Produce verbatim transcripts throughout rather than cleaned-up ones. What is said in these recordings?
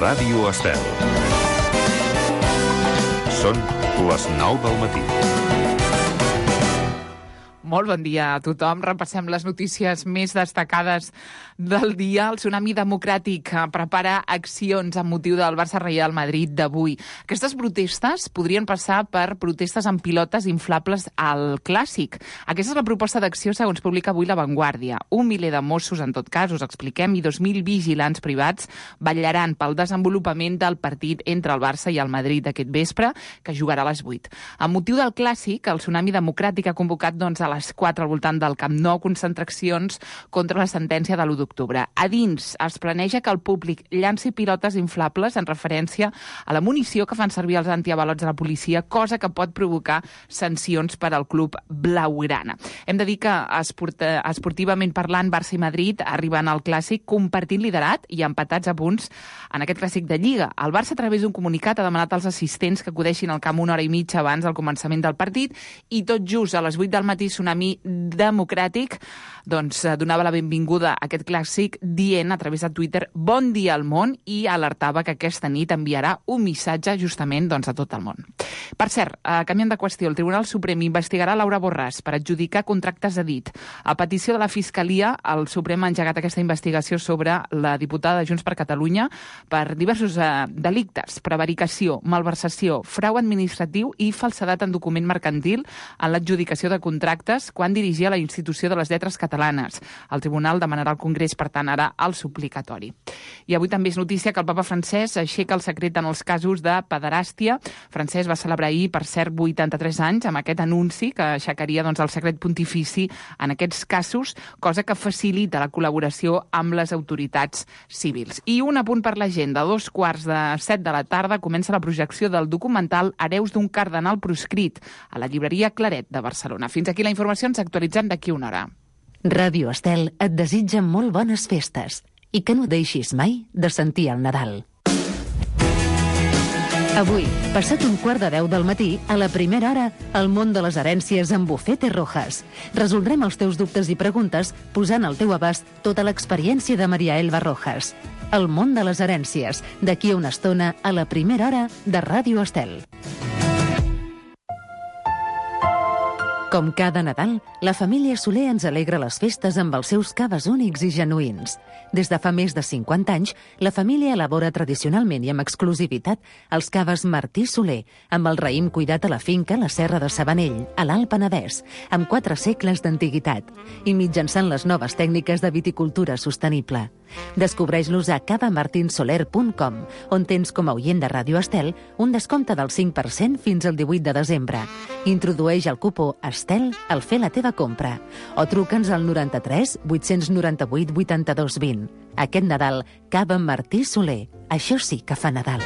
Ràdio Estel. Són les nou del matí. Molt bon dia a tothom. Repassem les notícies més destacades del dia. El Tsunami Democràtic prepara accions amb motiu del Barça-Real Madrid d'avui. Aquestes protestes podrien passar per protestes amb pilotes inflables al Clàssic. Aquesta és la proposta d'acció segons publica avui La Vanguardia. Un miler de Mossos, en tot cas, us expliquem, i dos mil vigilants privats vetllaran pel desenvolupament del partit entre el Barça i el Madrid d'aquest vespre, que jugarà a les vuit. Amb motiu del Clàssic, el Tsunami Democràtic ha convocat doncs, a les quatre al voltant del Camp Nou concentracions contra la sentència de l'u d'octubre. A dins es planeja que el públic llanci pilotes inflables en referència a la munició que fan servir els antiavalots de la policia, cosa que pot provocar sancions per al club blaugrana. Hem de dir que esport esportivament parlant, Barça i Madrid arriben al Clàssic compartint liderat i empatats a punts en aquest Clàssic de Lliga. El Barça, a través d'un comunicat, ha demanat als assistents que acudeixin al camp una hora i mitja abans del començament del partit i tot just a les vuit del matí Tsunami Democràtic doncs, donava la benvinguda a aquest Clàssic dient a través de Twitter bon dia al món i alertava que aquesta nit enviarà un missatge justament doncs, a tot el món. Per cert, eh, canviant de qüestió, el Tribunal Suprem investigarà Laura Borràs per adjudicar contractes a dit. A petició de la Fiscalia, el Suprem ha engegat aquesta investigació sobre la diputada de Junts per Catalunya per diversos eh, delictes, prevaricació, malversació, frau administratiu i falsedat en document mercantil en l'adjudicació de contractes quan dirigia la institució de les lletres catalanes. El Tribunal demanarà al Congrés, per tant, ara el suplicatori. I avui també és notícia que el papa Francesc aixeca el secret en els casos de pederàstia. Francesc va celebrar ahir, per cert, vuitanta-tres anys, amb aquest anunci que aixecaria doncs, el secret pontifici en aquests casos, cosa que facilita la col·laboració amb les autoritats civils. I un apunt per la gent. De dos quarts de set de la tarda comença la projecció del documental Hereus d'un cardenal proscrit a la llibreria Claret de Barcelona. Fins aquí la informació, ens actualitzem d'aquí una hora. Ràdio Estel et desitja molt bones festes i que no deixis mai de sentir el Nadal. Avui, passat un quart de deu del matí, a la primera hora, el món de les herències amb Bufete Rojas. Resoldrem els teus dubtes i preguntes posant al teu abast tota l'experiència de Maria Elba Rojas. El món de les herències, d'aquí a una estona, a la primera hora de Ràdio Estel. Com cada Nadal, la família Soler ens alegra les festes amb els seus caves únics i genuïns. Des de fa més de cinquanta anys, la família elabora tradicionalment i amb exclusivitat els caves Martí Soler, amb el raïm cuidat a la finca La Serra de Sabanell, a l'Alt Penedès, amb quatre segles d'antiguitat, i mitjançant les noves tècniques de viticultura sostenible. Descobreix-los a cava martin soler punt com, on tens com a oient de Ràdio Estel un descompte del cinc per cent fins al divuit de desembre. Introdueix el cupó Estel al fer la teva compra o truca'ns al noranta-tres vuit-cents noranta-vuit vuitanta-dos vint. Aquest Nadal, cava Martí Soler. Això sí que fa Nadal.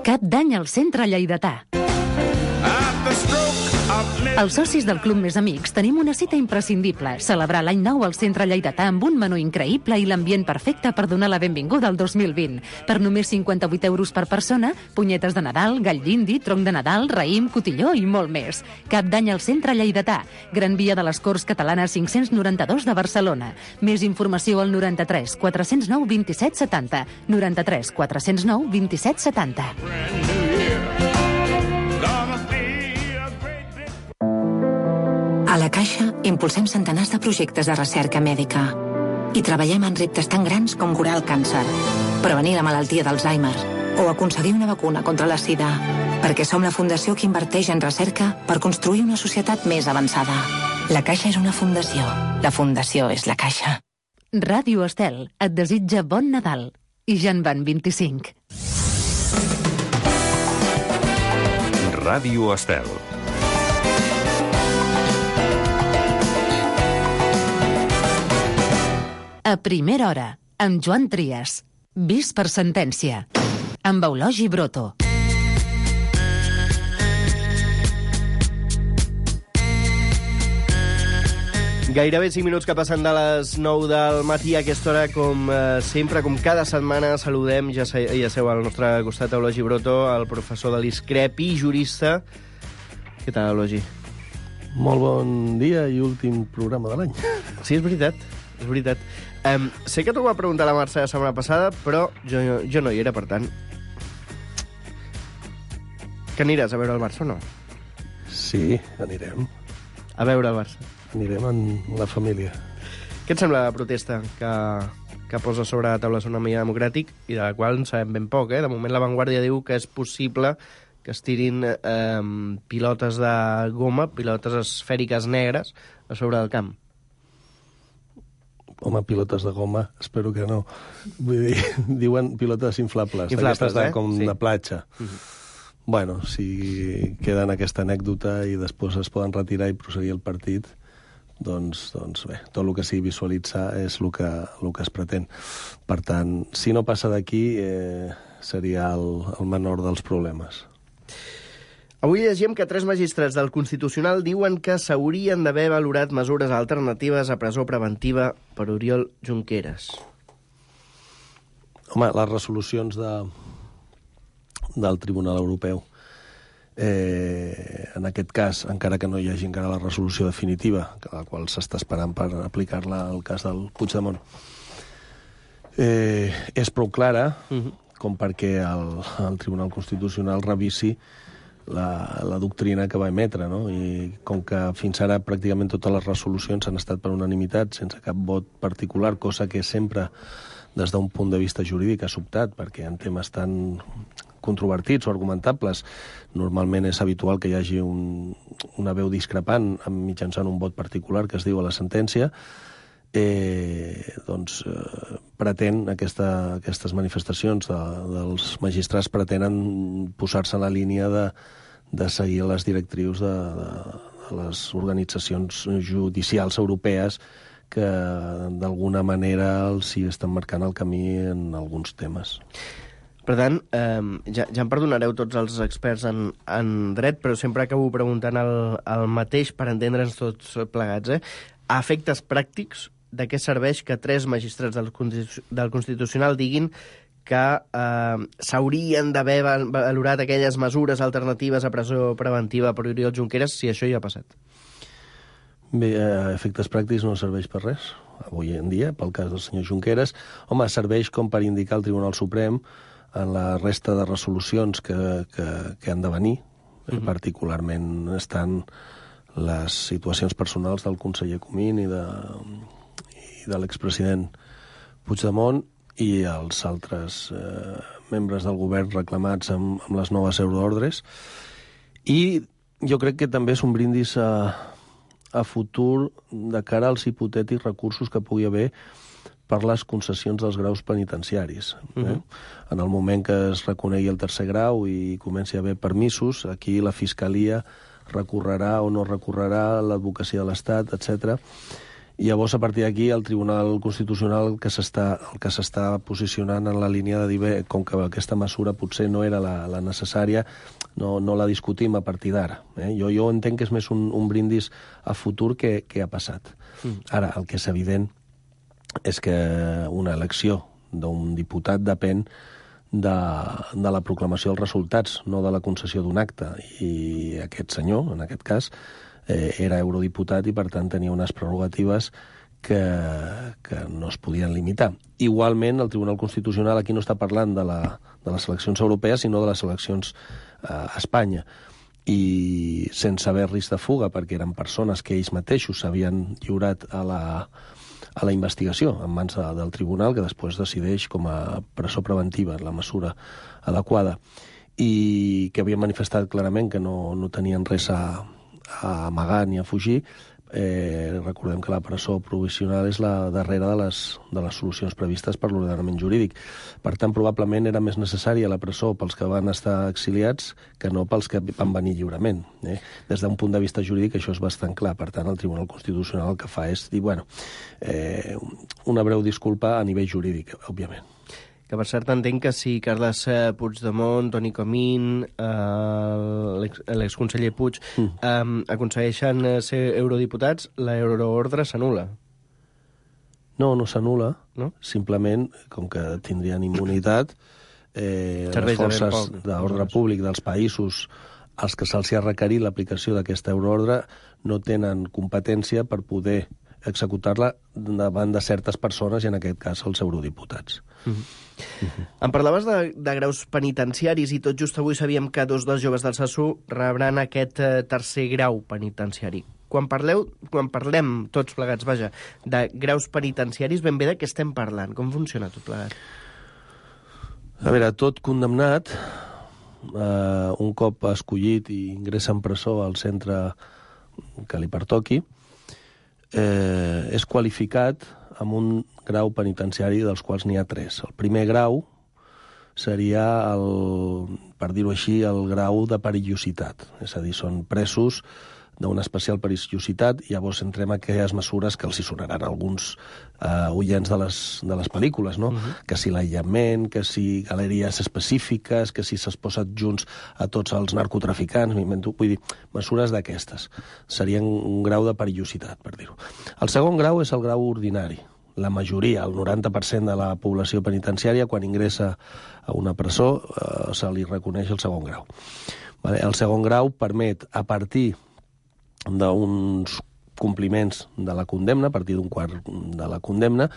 Cap d'any al centre lleidatà. Els socis del Club Més Amics tenim una cita imprescindible, celebrar l'any nou al centre lleidatà amb un menú increïble i l'ambient perfecte per donar la benvinguda al dos mil vint. Per només cinquanta-vuit euros per persona, punyetes de Nadal, gall d'indi, tronc de Nadal, raïm, cotilló i molt més. Cap d'any al centre lleidatà, Gran Via de les Corts Catalanes cinc-cents noranta-dos de Barcelona. Més informació al noranta-tres quatre-cents nou vint-i-set setanta, noranta-tres quatre-cents nou vint-i-set setanta. A la Caixa impulsem centenars de projectes de recerca mèdica i treballem en reptes tan grans com curar el càncer, prevenir la malaltia d'Alzheimer o aconseguir una vacuna contra la sida, perquè som la fundació que inverteix en recerca per construir una societat més avançada. La Caixa és una fundació. La fundació és la Caixa. Ràdio Estel et desitja bon Nadal. I ja en van vint-i-cinc. Ràdio Estel. A primera hora, amb Joan Trias. Vist per sentència. Amb Eulogi Broto. Gairebé cinc minuts que passen de les nou del matí a aquesta hora, com eh, sempre, com cada setmana, saludem, ja, se, ja seu al nostre costat, Eulogi Broto, el professor de l'ISCREP i jurista. Què tal, Eulogi? Molt bon dia i últim programa de l'any. Sí, és veritat, és veritat. Um, sé que t'ho va preguntar la Mercè la setmana passada, però jo, jo no hi era, per tant... Que aniràs a veure el Barça o no? Sí, anirem. A veure el Barça. Anirem amb la família. Què et sembla la protesta que, que posa sobre la taula Tsunami Democràtic i de la qual en sabem ben poc, eh? De moment La Vanguardia diu que és possible que es tirin eh, pilotes de goma, pilotes esfèriques negres a sobre del camp. Home, pilotes de goma, espero que no. Vull dir, diuen pilotes inflables, Inflables, d'aquestes de, eh? com Sí. de platja. Mm-hmm. Bueno, si queda en aquesta anècdota i després es poden retirar i proseguir el partit, doncs, doncs bé, tot el que sigui visualitzar és el que, el que es pretén. Per tant, si no passa d'aquí, eh, seria el, el menor dels problemes. Avui llegim que tres magistrats del Constitucional diuen que s'haurien d'haver valorat mesures alternatives a presó preventiva per Oriol Junqueras. Home, les resolucions de, del Tribunal Europeu, eh, en aquest cas, encara que no hi hagi encara la resolució definitiva, la qual s'està esperant per aplicar-la al cas del Puigdemont, eh, és prou clara uh-huh. com perquè el, el Tribunal Constitucional revisi La, la doctrina que va emetre, no? I com que fins ara pràcticament totes les resolucions han estat per unanimitat, sense cap vot particular, cosa que sempre, des d'un punt de vista jurídic, ha sobtat, perquè en temes tan controvertits o argumentables, normalment és habitual que hi hagi un, una veu discrepant mitjançant un vot particular que es diu a la sentència, eh, doncs eh, pretén aquesta, aquestes manifestacions de, dels magistrats pretenen posar-se en la línia de, de seguir les directrius de, de, de les organitzacions judicials europees que d'alguna manera els hi estan marcant el camí en alguns temes. Per tant, eh, ja, ja em perdonareu tots els experts en, en dret, però sempre acabo preguntant el, el mateix per entendre'ns tots plegats. Eh? A efectes pràctics, de què serveix que tres magistrats del, del Constitucional diguin que eh, s'haurien d'haver valorat aquelles mesures alternatives a presó preventiva per Oriol Junqueras si això ja ha passat? Bé, a efectes pràctics no serveix per res, avui en dia, pel cas del senyor Junqueras. Home, serveix com per indicar al Tribunal Suprem en la resta de resolucions que, que, que han de venir, uh-huh. particularment estan les situacions personals del conseller Comín i de... de l'expresident Puigdemont i els altres eh, membres del govern reclamats amb, amb les noves euroordres. I jo crec que també és un brindis a, a futur de cara als hipotètics recursos que pugui haver per les concessions dels graus penitenciaris. Eh? Uh-huh. En el moment que es reconegui el tercer grau i comenci a haver permisos, aquí la Fiscalia recorrerà o no recorrerà, l'advocacia de l'Estat, etcètera. I llavors, a partir d'aquí, el Tribunal Constitucional que s'està el que s'està posicionant en la línia de dir, bé, com que aquesta mesura potser no era la, la necessària, no, no la discutim a partir d'ara. Eh? Jo, jo entenc que és més un, un brindis a futur que, que ha passat. Mm. Ara, el que és evident és que una elecció d'un diputat depèn de, de la proclamació dels resultats, no de la concessió d'un acte. I aquest senyor, en aquest cas, eh, era eurodiputat i, per tant, tenia unes prerrogatives que, que no es podien limitar. Igualment, el Tribunal Constitucional aquí no està parlant de, la, de les eleccions europees, sinó de les eleccions eh, a Espanya. I sense haver risc de fuga, perquè eren persones que ells mateixos s'havien lliurat a la, a la investigació en mans de, del tribunal, que després decideix com a presó preventiva la mesura adequada, i que havien manifestat clarament que no, no tenien res a, a amagar ni a fugir. Eh, recordem que la presó provisional és la darrera de les, de les solucions previstes per l'ordenament jurídic. Per tant, probablement era més necessària la presó pels que van estar exiliats que no pels que van venir lliurement. Eh? Des d'un punt de vista jurídic això és bastant clar. Per tant, el Tribunal Constitucional el que fa és dir, bueno, eh, una breu disculpa a nivell jurídic, òbviament. Que, per cert, entenc que si Carles Puigdemont, Toni Comín, eh, l'exconseller Puig, mm. eh, aconsegueixen ser eurodiputats, l'euroordre s'anul·la. No, no s'anul·la. No? Simplement, com que tindrien immunitat, eh, les forces d'ordre públic dels països als que se'ls ha requerit l'aplicació d'aquesta euroordre no tenen competència per poder executar-la davant de certes persones, i en aquest cas els eurodiputats. Uh -huh. Uh -huh. Em parlaves de, de graus penitenciaris i tot just avui sabíem que dos dels joves del Sassú rebran aquest eh, tercer grau penitenciari. Quan parleu, quan parlem tots plegats, vaja, de graus penitenciaris, ben bé de què estem parlant? Com funciona tot plegat? A veure, tot condemnat, eh, un cop escollit i ingressa en presó al centre que li pertoqui, eh, és qualificat amb un grau penitenciari dels quals n'hi ha tres. El primer grau seria, el, per dir-ho així, el grau de perillositat. És a dir, són presos d'una especial perillositat, i llavors entrem a aquelles mesures que els hi sonaran a alguns eh, oients de les, de les pel·lícules, no? Uh-huh. Que si l'aïllament, que si galeries específiques, que si s'es posen junts a tots els narcotraficants, vull dir, mesures d'aquestes. Serien un grau de perillositat, per dir-ho. El segon grau és el grau ordinari. La majoria, el noranta per cent de la població penitenciària, quan ingressa a una presó, eh, se li reconeix el segon grau. Vale? El segon grau permet, a partir d'uns compliments de la condemna, a partir d'un quart de la condemna,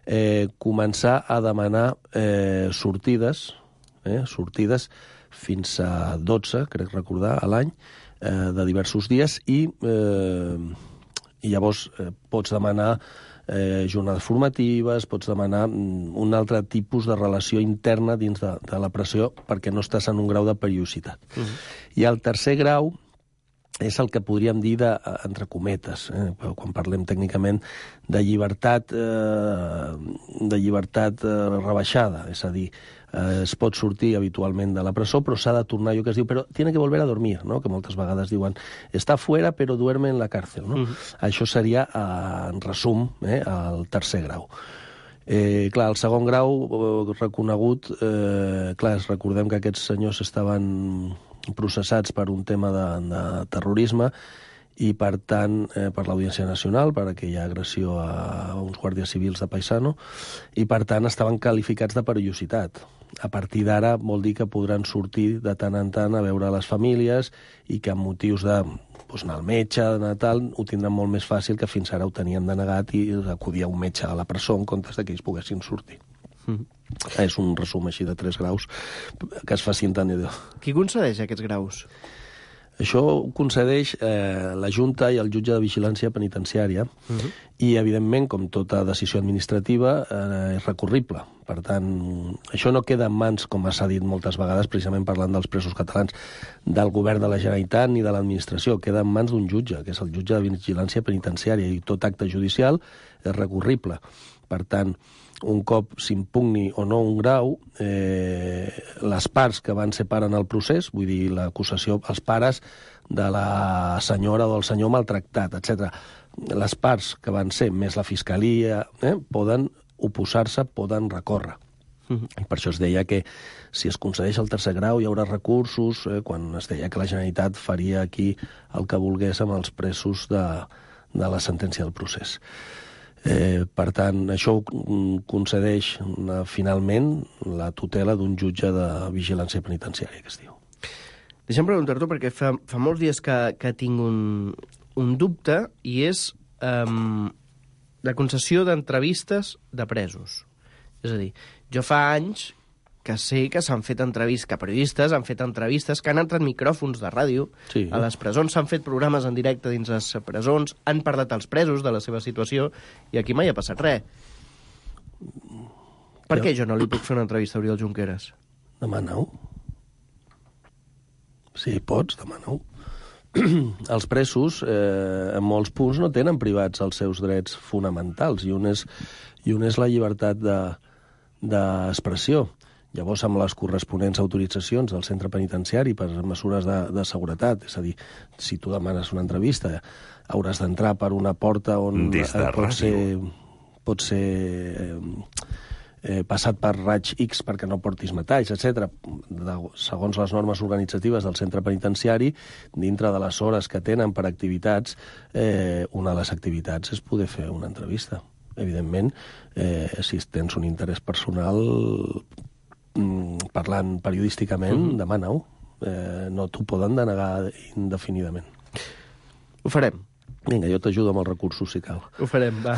eh, començar a demanar eh, sortides, eh, sortides fins a dotze, crec recordar, a l'any, eh, de diversos dies, i, eh, i llavors eh, pots demanar eh, jornades formatives, pots demanar un altre tipus de relació interna dins de, de la presó, perquè no estàs en un grau de perillositat. Uh-huh. I el tercer grau és el que podríem dir de, entre cometes, eh, quan parlem tècnicament de llibertat, eh, de llibertat eh, rebaixada, és a dir, eh, es pot sortir habitualment de la presó, però s'ha de tornar, allò que es diu, però tiene que volver a dormir, no? Que moltes vegades diuen, està fuera però duerme en la cárcel, no? Uh-huh. Això seria, eh, en resum, eh, el tercer grau. Eh, clar, el segon grau eh, reconegut, eh, clar, recordem que aquests senyors estaven processats per un tema de, de terrorisme, i, per tant, eh, per l'Audiència Nacional, per aquella agressió a uns guàrdies civils de Paisano, i, per tant, estaven qualificats de perillositat. A partir d'ara vol dir que podran sortir de tant en tant a veure les famílies, i que amb motius de doncs, anar al metge, de tal, ho tindran molt més fàcil, que fins ara ho tenien denegat i acudir a un metge a la presó en comptes de que ells poguessin sortir. Mm. És un resum així de tres graus que es faci entenedor. Qui concedeix aquests graus? Això ho concedeix eh, la Junta i el jutge de vigilància penitenciària, uh-huh. i, evidentment, com tota decisió administrativa, eh, és recurrible. Per tant, això no queda en mans, com s'ha dit moltes vegades, precisament parlant dels presos catalans, del govern de la Generalitat ni de l'administració. Queda en mans d'un jutge, que és el jutge de vigilància penitenciària, i tot acte judicial és recurrible. Per tant, un cop s'impugni o no un grau, eh, les parts que van ser part en el procés, vull dir, l'acusació, els pares de la senyora o del senyor maltractat, etcètera, les parts que van ser, més la fiscalia, eh, poden oposar-se, poden recórrer. Uh-huh. I per això es deia que si es concedeix el tercer grau hi haurà recursos, eh, quan es deia que la Generalitat faria aquí el que volgués amb els presos de, de la sentència del procés. Eh, per tant, això concedeix una, finalment la tutela d'un jutge de vigilància penitenciària, que es diu. Deixa'm preguntar-t'ho, perquè fa, fa molts dies que, que tinc un, un dubte, i és um, la concessió d'entrevistes de presos. És a dir, jo fa anys que sé que s'han fet entrevistes, que periodistes han fet entrevistes, que han entrat micròfons de ràdio, sí. A les presons, s'han fet programes en directe dins les presons, han parlat als presos de la seva situació, i aquí mai ha passat res. Per jo... què jo no li puc fer una entrevista a Oriol Junqueras? Demana-ho. Sí, pots, demana-ho. Els presos, eh, en molts punts, no tenen privats els seus drets fonamentals, i un és, i un és la llibertat de, d'expressió. Llavors, amb les corresponents autoritzacions del centre penitenciari per mesures de, de seguretat, és a dir, si tu demanes una entrevista, hauràs d'entrar per una porta on Des de eh, pot ser, pot ser eh, eh, passat per raig X perquè no portis metalls, etcètera. Segons les normes organitzatives del centre penitenciari, dintre de les hores que tenen per activitats, eh, una de les activitats és poder fer una entrevista. Evidentment, eh, si tens un interès personal, parlant periodísticament, mm-hmm. demana-ho. Eh, no t'ho poden denegar indefinidament. Ho farem. Vinga, jo t'ajudo amb els recursos, si cal. Ho farem, va.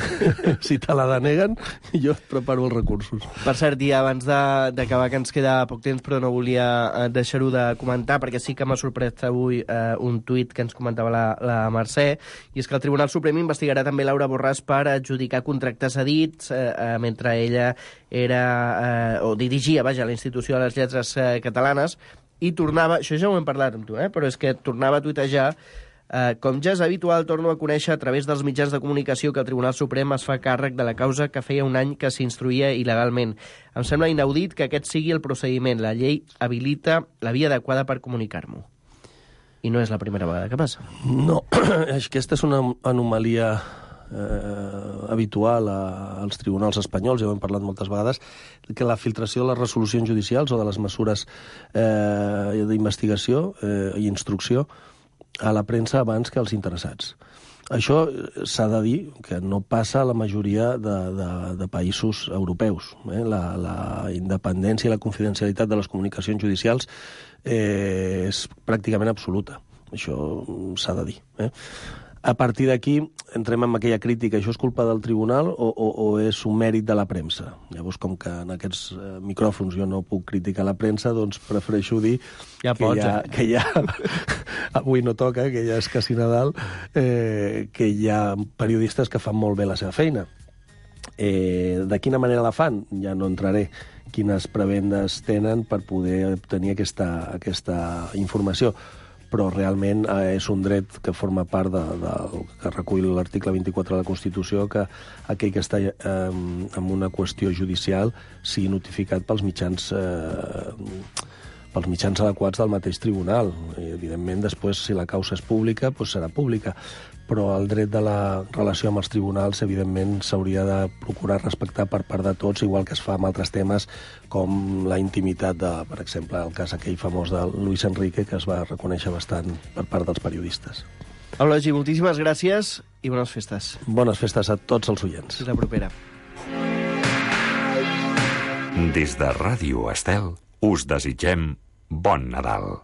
Si te la deneguen, jo et preparo els recursos. Per cert, i abans d'acabar, que ens queda poc temps, però no volia deixar-ho de comentar, perquè sí que m'ha sorprès avui eh, un tuit que ens comentava la, la Mercè, i és que el Tribunal Suprem investigarà també Laura Borràs per adjudicar contractes cedits eh, eh, mentre ella era, eh, o dirigia, vaja, la Institució de les Lletres eh, Catalanes, i tornava, això ja ho hem parlat amb tu, eh, però és que tornava a tuitejar Uh, com ja és habitual, torno a conèixer a través dels mitjans de comunicació que el Tribunal Suprem es fa càrrec de la causa que feia un any que s'instruïa il·legalment. Em sembla inaudit que aquest sigui el procediment. La llei habilita la via adequada per comunicar-m'ho. I no és la primera vegada que passa. No, aquesta és una anomalia eh, habitual a, als tribunals espanyols, ja ho hem parlat moltes vegades, que la filtració de les resolucions judicials o de les mesures eh, d'investigació eh, i instrucció a la premsa abans que als interessats. Això s'ha de dir que no passa a la majoria de, de, de països europeus. Eh? La, la independència i la confidencialitat de les comunicacions judicials eh, és pràcticament absoluta. Això s'ha de dir. Eh? A partir d'aquí entrem en aquella crítica, això és culpa del tribunal o, o, o és un mèrit de la premsa? Llavors, com que en aquests eh, micròfons jo no puc criticar la premsa, doncs prefereixo dir ja que, pots, hi ha, eh? que hi ha... Avui no toca, que ja és quasi Nadal, eh, que hi ha periodistes que fan molt bé la seva feina. Eh, de quina manera la fan? Ja no entraré. Quines prebendes tenen per poder obtenir aquesta, aquesta informació. Però realment eh, és un dret que forma part de, de, que recull l'article vint-i-quatre de la Constitució, que aquell que està eh, en una qüestió judicial sigui notificat pels mitjans eh, pels mitjans adequats del mateix tribunal. I, evidentment, després, si la causa és pública, doncs serà pública. Però el dret de la relació amb els tribunals, evidentment, s'hauria de procurar respectar per part de tots, igual que es fa amb altres temes, com la intimitat de, per exemple, el cas aquell famós de Luis Enrique, que es va reconèixer bastant per part dels periodistes. Eulogi, moltíssimes gràcies i bones festes. Bones festes a tots els oients. Fins la propera. Des de Ràdio Estel, us desitgem bon Nadal.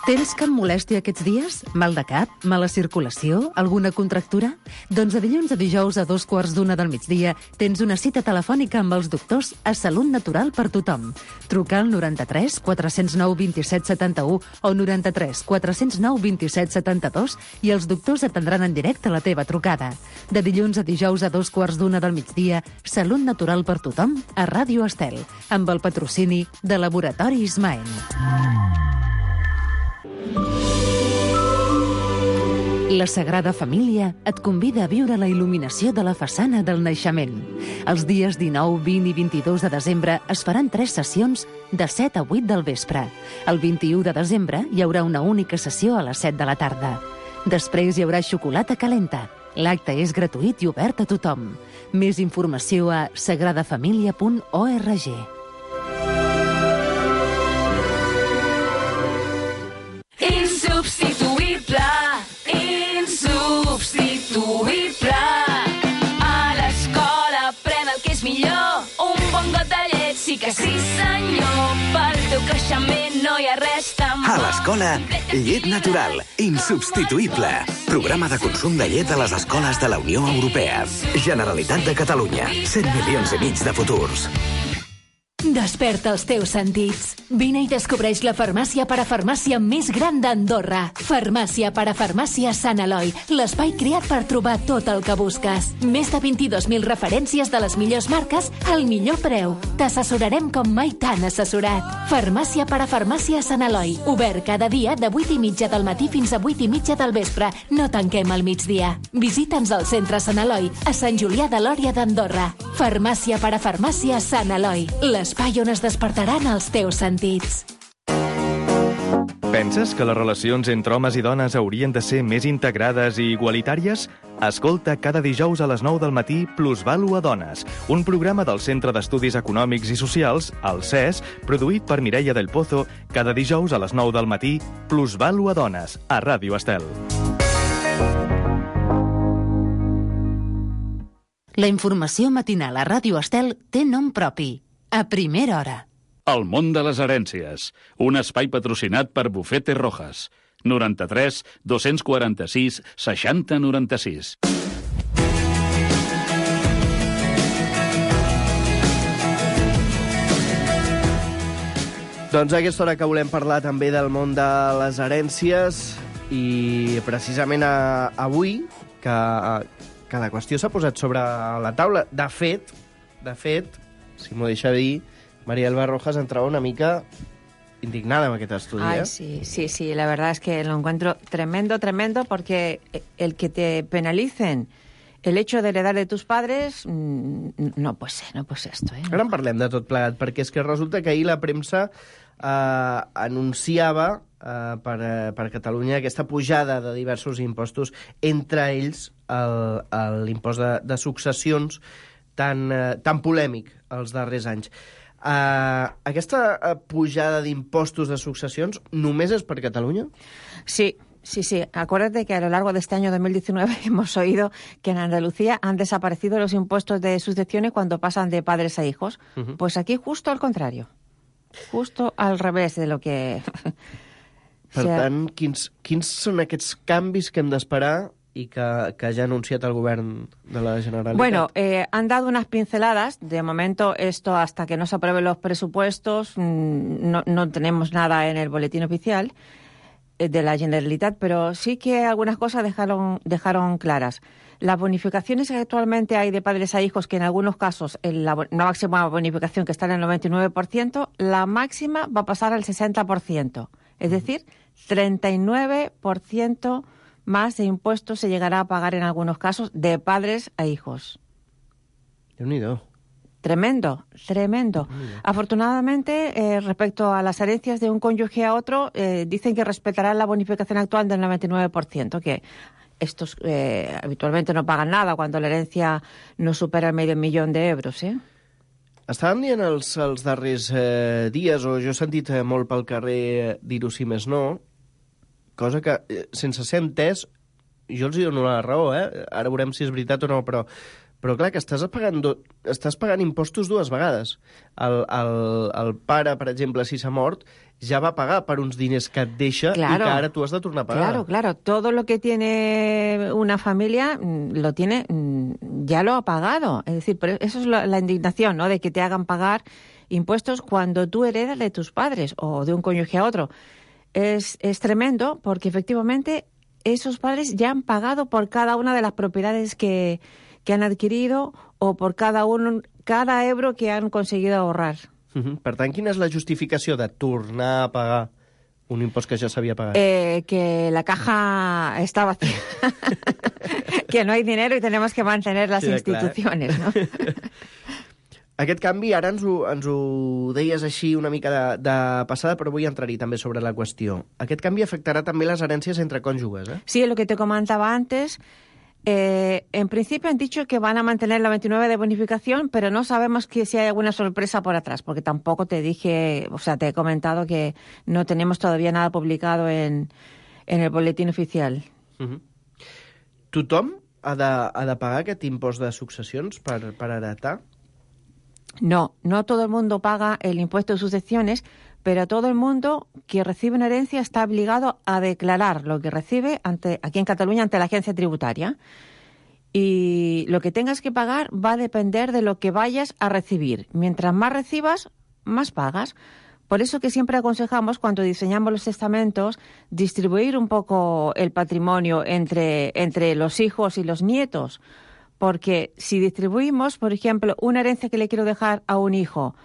Tens cap molèstia aquests dies? Mal de cap? Mala circulació? Alguna contractura? Doncs de dilluns a dijous a dos quarts d'una del migdia tens una cita telefònica amb els doctors a Salut Natural per tothom. Truca al noranta-tres quatre zero nou vint-i-set setanta-u o noranta-tres quatre zero nou vint-i-set setanta-dos i els doctors atendran en directe la teva trucada. De dilluns a dijous a dos quarts d'una del migdia, Salut Natural per tothom a Ràdio Estel, amb el patrocini de Laboratori Ismael. La Sagrada Família et convida a viure la il·luminació de la façana del naixement. Els dies dinou, vint i vint-i-dos de desembre es faran tres sessions de set a vuit del vespre. El vint-i-u de desembre hi haurà una única sessió a les set de la tarda. Després hi haurà xocolata calenta. L'acte és gratuït i obert a tothom. Més informació a sagrada família punt org. Insubstituïble, insubstituïble. A l'escola pren el que és millor. Un bon got de llet, sí que sí senyor. Pel teu creixement no hi ha res tan bo. A l'escola, llet natural, insubstituïble. Programa de consum de llet a les escoles de la Unió Europea. Generalitat de Catalunya. set milions i mig de futurs. Desperta els teus sentits. Vine i descobreix la farmàcia parafarmàcia més gran d'Andorra. Farmàcia parafarmàcia Sant Eloi, l'espai creat per trobar tot el que busques. Més de vint-i-dos mil referències de les millors marques al millor preu. T'assessorarem com mai t'han assessorat. Farmàcia parafarmàcia Sant Eloi, obert cada dia de vuit i mitja del matí fins a vuit i mitja del vespre. No tanquem al migdia. Visita'ns al centre Sant Eloi, a Sant Julià de Lòria d'Andorra. Farmàcia parafarmàcia Sant Eloi, l'espai on es despertaran els teus sentits. Penses que les relacions entre homes i dones haurien de ser més integrades i igualitàries? Escolta cada dijous a les nou del matí Plusvalua Dones, un programa del Centre d'Estudis Econòmics i Socials, el C E S, produït per Mireia del Pozo, cada dijous a les nou del matí Plusvalua Dones, a Ràdio Estel. La informació matinal a Ràdio Estel té nom propi. A primera hora. El món de les herències. Un espai patrocinat per Bufete Rojas. noranta-tres dos-cents quaranta-sis seixanta noranta-sis. Doncs a aquesta hora que volem parlar també del món de les herències i precisament a, avui que, que la qüestió s'ha posat sobre la taula. De fet, de fet, si m'ho deixa dir, María Elba Rojas entrava una mica indignada amb aquest estudi. Ay, ¿eh? sí, sí, sí, la verdad es que lo encuentro tremendo, tremendo, porque el que te penalicen el hecho de heredar de tus padres, no puede ser, no puede ser esto. ¿eh? Ara en parlem de tot plegat, perquè és que resulta que ahir la premsa eh, anunciava eh, per, eh, per Catalunya aquesta pujada de diversos impostos, entre ells l'impost de, de successions tan, eh, tan polèmic els darrers anys. Uh, aquesta uh, pujada d'impostos de successions només és per Catalunya? Sí, sí, sí. Acuérdate que a lo largo de este año dos mil diecinueve hemos oído que en Andalucía han desaparecido los impuestos de sucesiones cuando pasan de padres a hijos. Uh-huh. Pues aquí justo al contrario. Justo al revés de lo que... Per o sea... tant, quins, quins són aquests canvis que hem d'esperar y que, que ya ha anunciado el gobierno de la Generalitat? Bueno, eh, han dado unas pinceladas. De momento, esto hasta que no se aprueben los presupuestos, no, no tenemos nada en el boletín oficial eh, de la Generalitat, pero sí que algunas cosas dejaron, dejaron claras. Las bonificaciones que actualmente hay de padres a hijos, que en algunos casos en la, la máxima bonificación que está en el noventa y nueve por ciento, la máxima va a pasar al sesenta por ciento. Es decir, treinta y nueve por ciento más de impuestos se llegará a pagar en algunos casos de padres a hijos. Déu-n'hi-do. Tremendo, tremendo. Déu-n'hi-do. Afortunadamente, eh, respecto a las herencias de un cónyuge a otro, eh, dicen que respetarán la bonificación actual del noventa y nueve por ciento, que estos eh, habitualmente no pagan nada cuando la herencia no supera el medio millón de euros, ¿eh? Estàvem dient els, els darrers eh, dies, o jo he sentit eh, molt pel carrer dir-ho sí més no, cosa que, eh, sense ser entès, jo els hi dono la raó, eh? Ara veurem si és veritat o no, però, però clar, que estàs pagant, do, estàs pagant impostos dues vegades. El, el, el pare, per exemple, si s'ha mort, ja va pagar per uns diners que et deixa claro, i que ara tu has de tornar a pagar. Claro, claro. Todo lo que tiene una familia lo tiene, ya lo ha pagado. Es decir, pero eso es la, la indignación, ¿no? De que te hagan pagar impuestos cuando tú heredas de tus padres o de un cónyuge a otro. Es, es tremendo porque efectivamente esos padres ya han pagado por cada una de las propiedades que, que han adquirido o por cada, un, cada euro que han conseguido ahorrar. Uh-huh. Per tant, quina és la justificació de tornar a pagar un impost que ja s'havia pagat? Eh, que la caja está vacía. Que no hay dinero y tenemos que mantener las sí, instituciones, clar, eh? ¿no? Aquest canvi, ara ens ho, ens ho deies així una mica de, de passada, però vull entrar-hi també sobre la qüestió. Aquest canvi afectarà també les herències entre cònjuges, ¿eh? Sí, lo que te comentaba antes. Eh, en principio han dicho que van a mantener la veintinueve de bonificación, pero no sabemos que si hay alguna sorpresa por atrás, porque tampoco te dije, o sea, te he comentado que no tenemos todavía nada publicado en, en el boletín oficial. Uh-huh. Tothom ha de, ha de pagar aquest impost de successions per, per heretar? No, no todo el mundo paga el impuesto de sucesiones, pero todo el mundo que recibe una herencia está obligado a declarar lo que recibe ante, aquí en Cataluña ante la agencia tributaria. Y lo que tengas que pagar va a depender de lo que vayas a recibir. Mientras más recibas, más pagas. Por eso que siempre aconsejamos, cuando diseñamos los testamentos, distribuir un poco el patrimonio entre, entre los hijos y los nietos. Porque si distribuimos, por ejemplo, una herencia que le quiero dejar a un hijo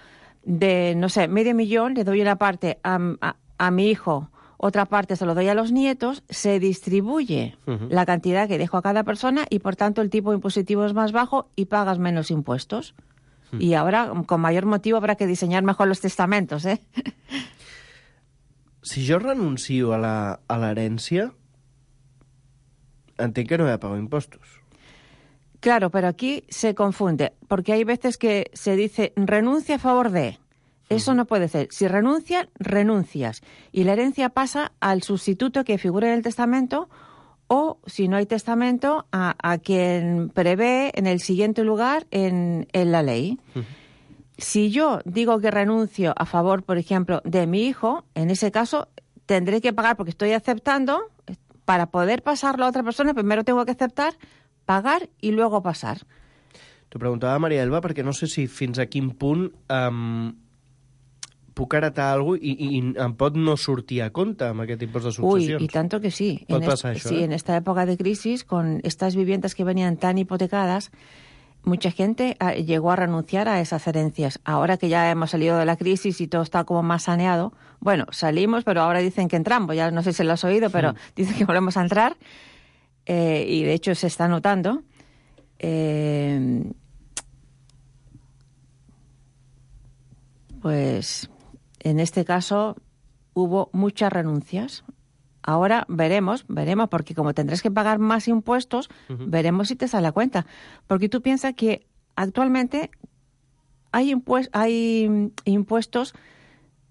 de, no sé, medio millón, le doy una parte a, a, a mi hijo, otra parte se lo doy a los nietos, se distribuye uh-huh. la cantidad que dejo a cada persona y, por tanto, el tipo impositivo es más bajo y pagas menos impuestos. Uh-huh. Y ahora, con mayor motivo, habrá que diseñar mejor los testamentos, ¿eh? Si jo renuncio a la, a l'herència, entenc que no he de pagar impostos. Claro, pero aquí se confunde, porque hay veces que se dice renuncia a favor de. Eso no puede ser. Si renuncias, renuncias. Y la herencia pasa al sustituto que figure en el testamento o, si no hay testamento, a, a quien prevé en el siguiente lugar en, en la ley. Uh-huh. Si yo digo que renuncio a favor, por ejemplo, de mi hijo, en ese caso tendré que pagar porque estoy aceptando. Para poder pasarlo a otra persona, primero tengo que aceptar, pagar y luego pasar. T'ho preguntava Maria Elba perquè no sé si fins a quin punt um, puc heretar alguna cosa i, i em pot no sortir a compte amb aquest impost de successions. Uy, y tanto que sí. Pot en pasar est- això, Sí, eh? en esta época de crisis, con estas viviendas que venían tan hipotecadas, mucha gente ah, llegó a renunciar a esas herencias. Ahora que ya hemos salido de la crisis y todo está como más saneado, bueno, salimos, pero ahora dicen que entramos. Ya no sé si lo has oído, pero Sí. dicen que volvemos a entrar eh, y de hecho se está notando. Eh, pues en este caso hubo muchas renuncias. Ahora veremos, veremos, porque como tendrás que pagar más impuestos, uh-huh. veremos si te sale a cuenta. Porque tú piensas que actualmente hay, impues- hay impuestos,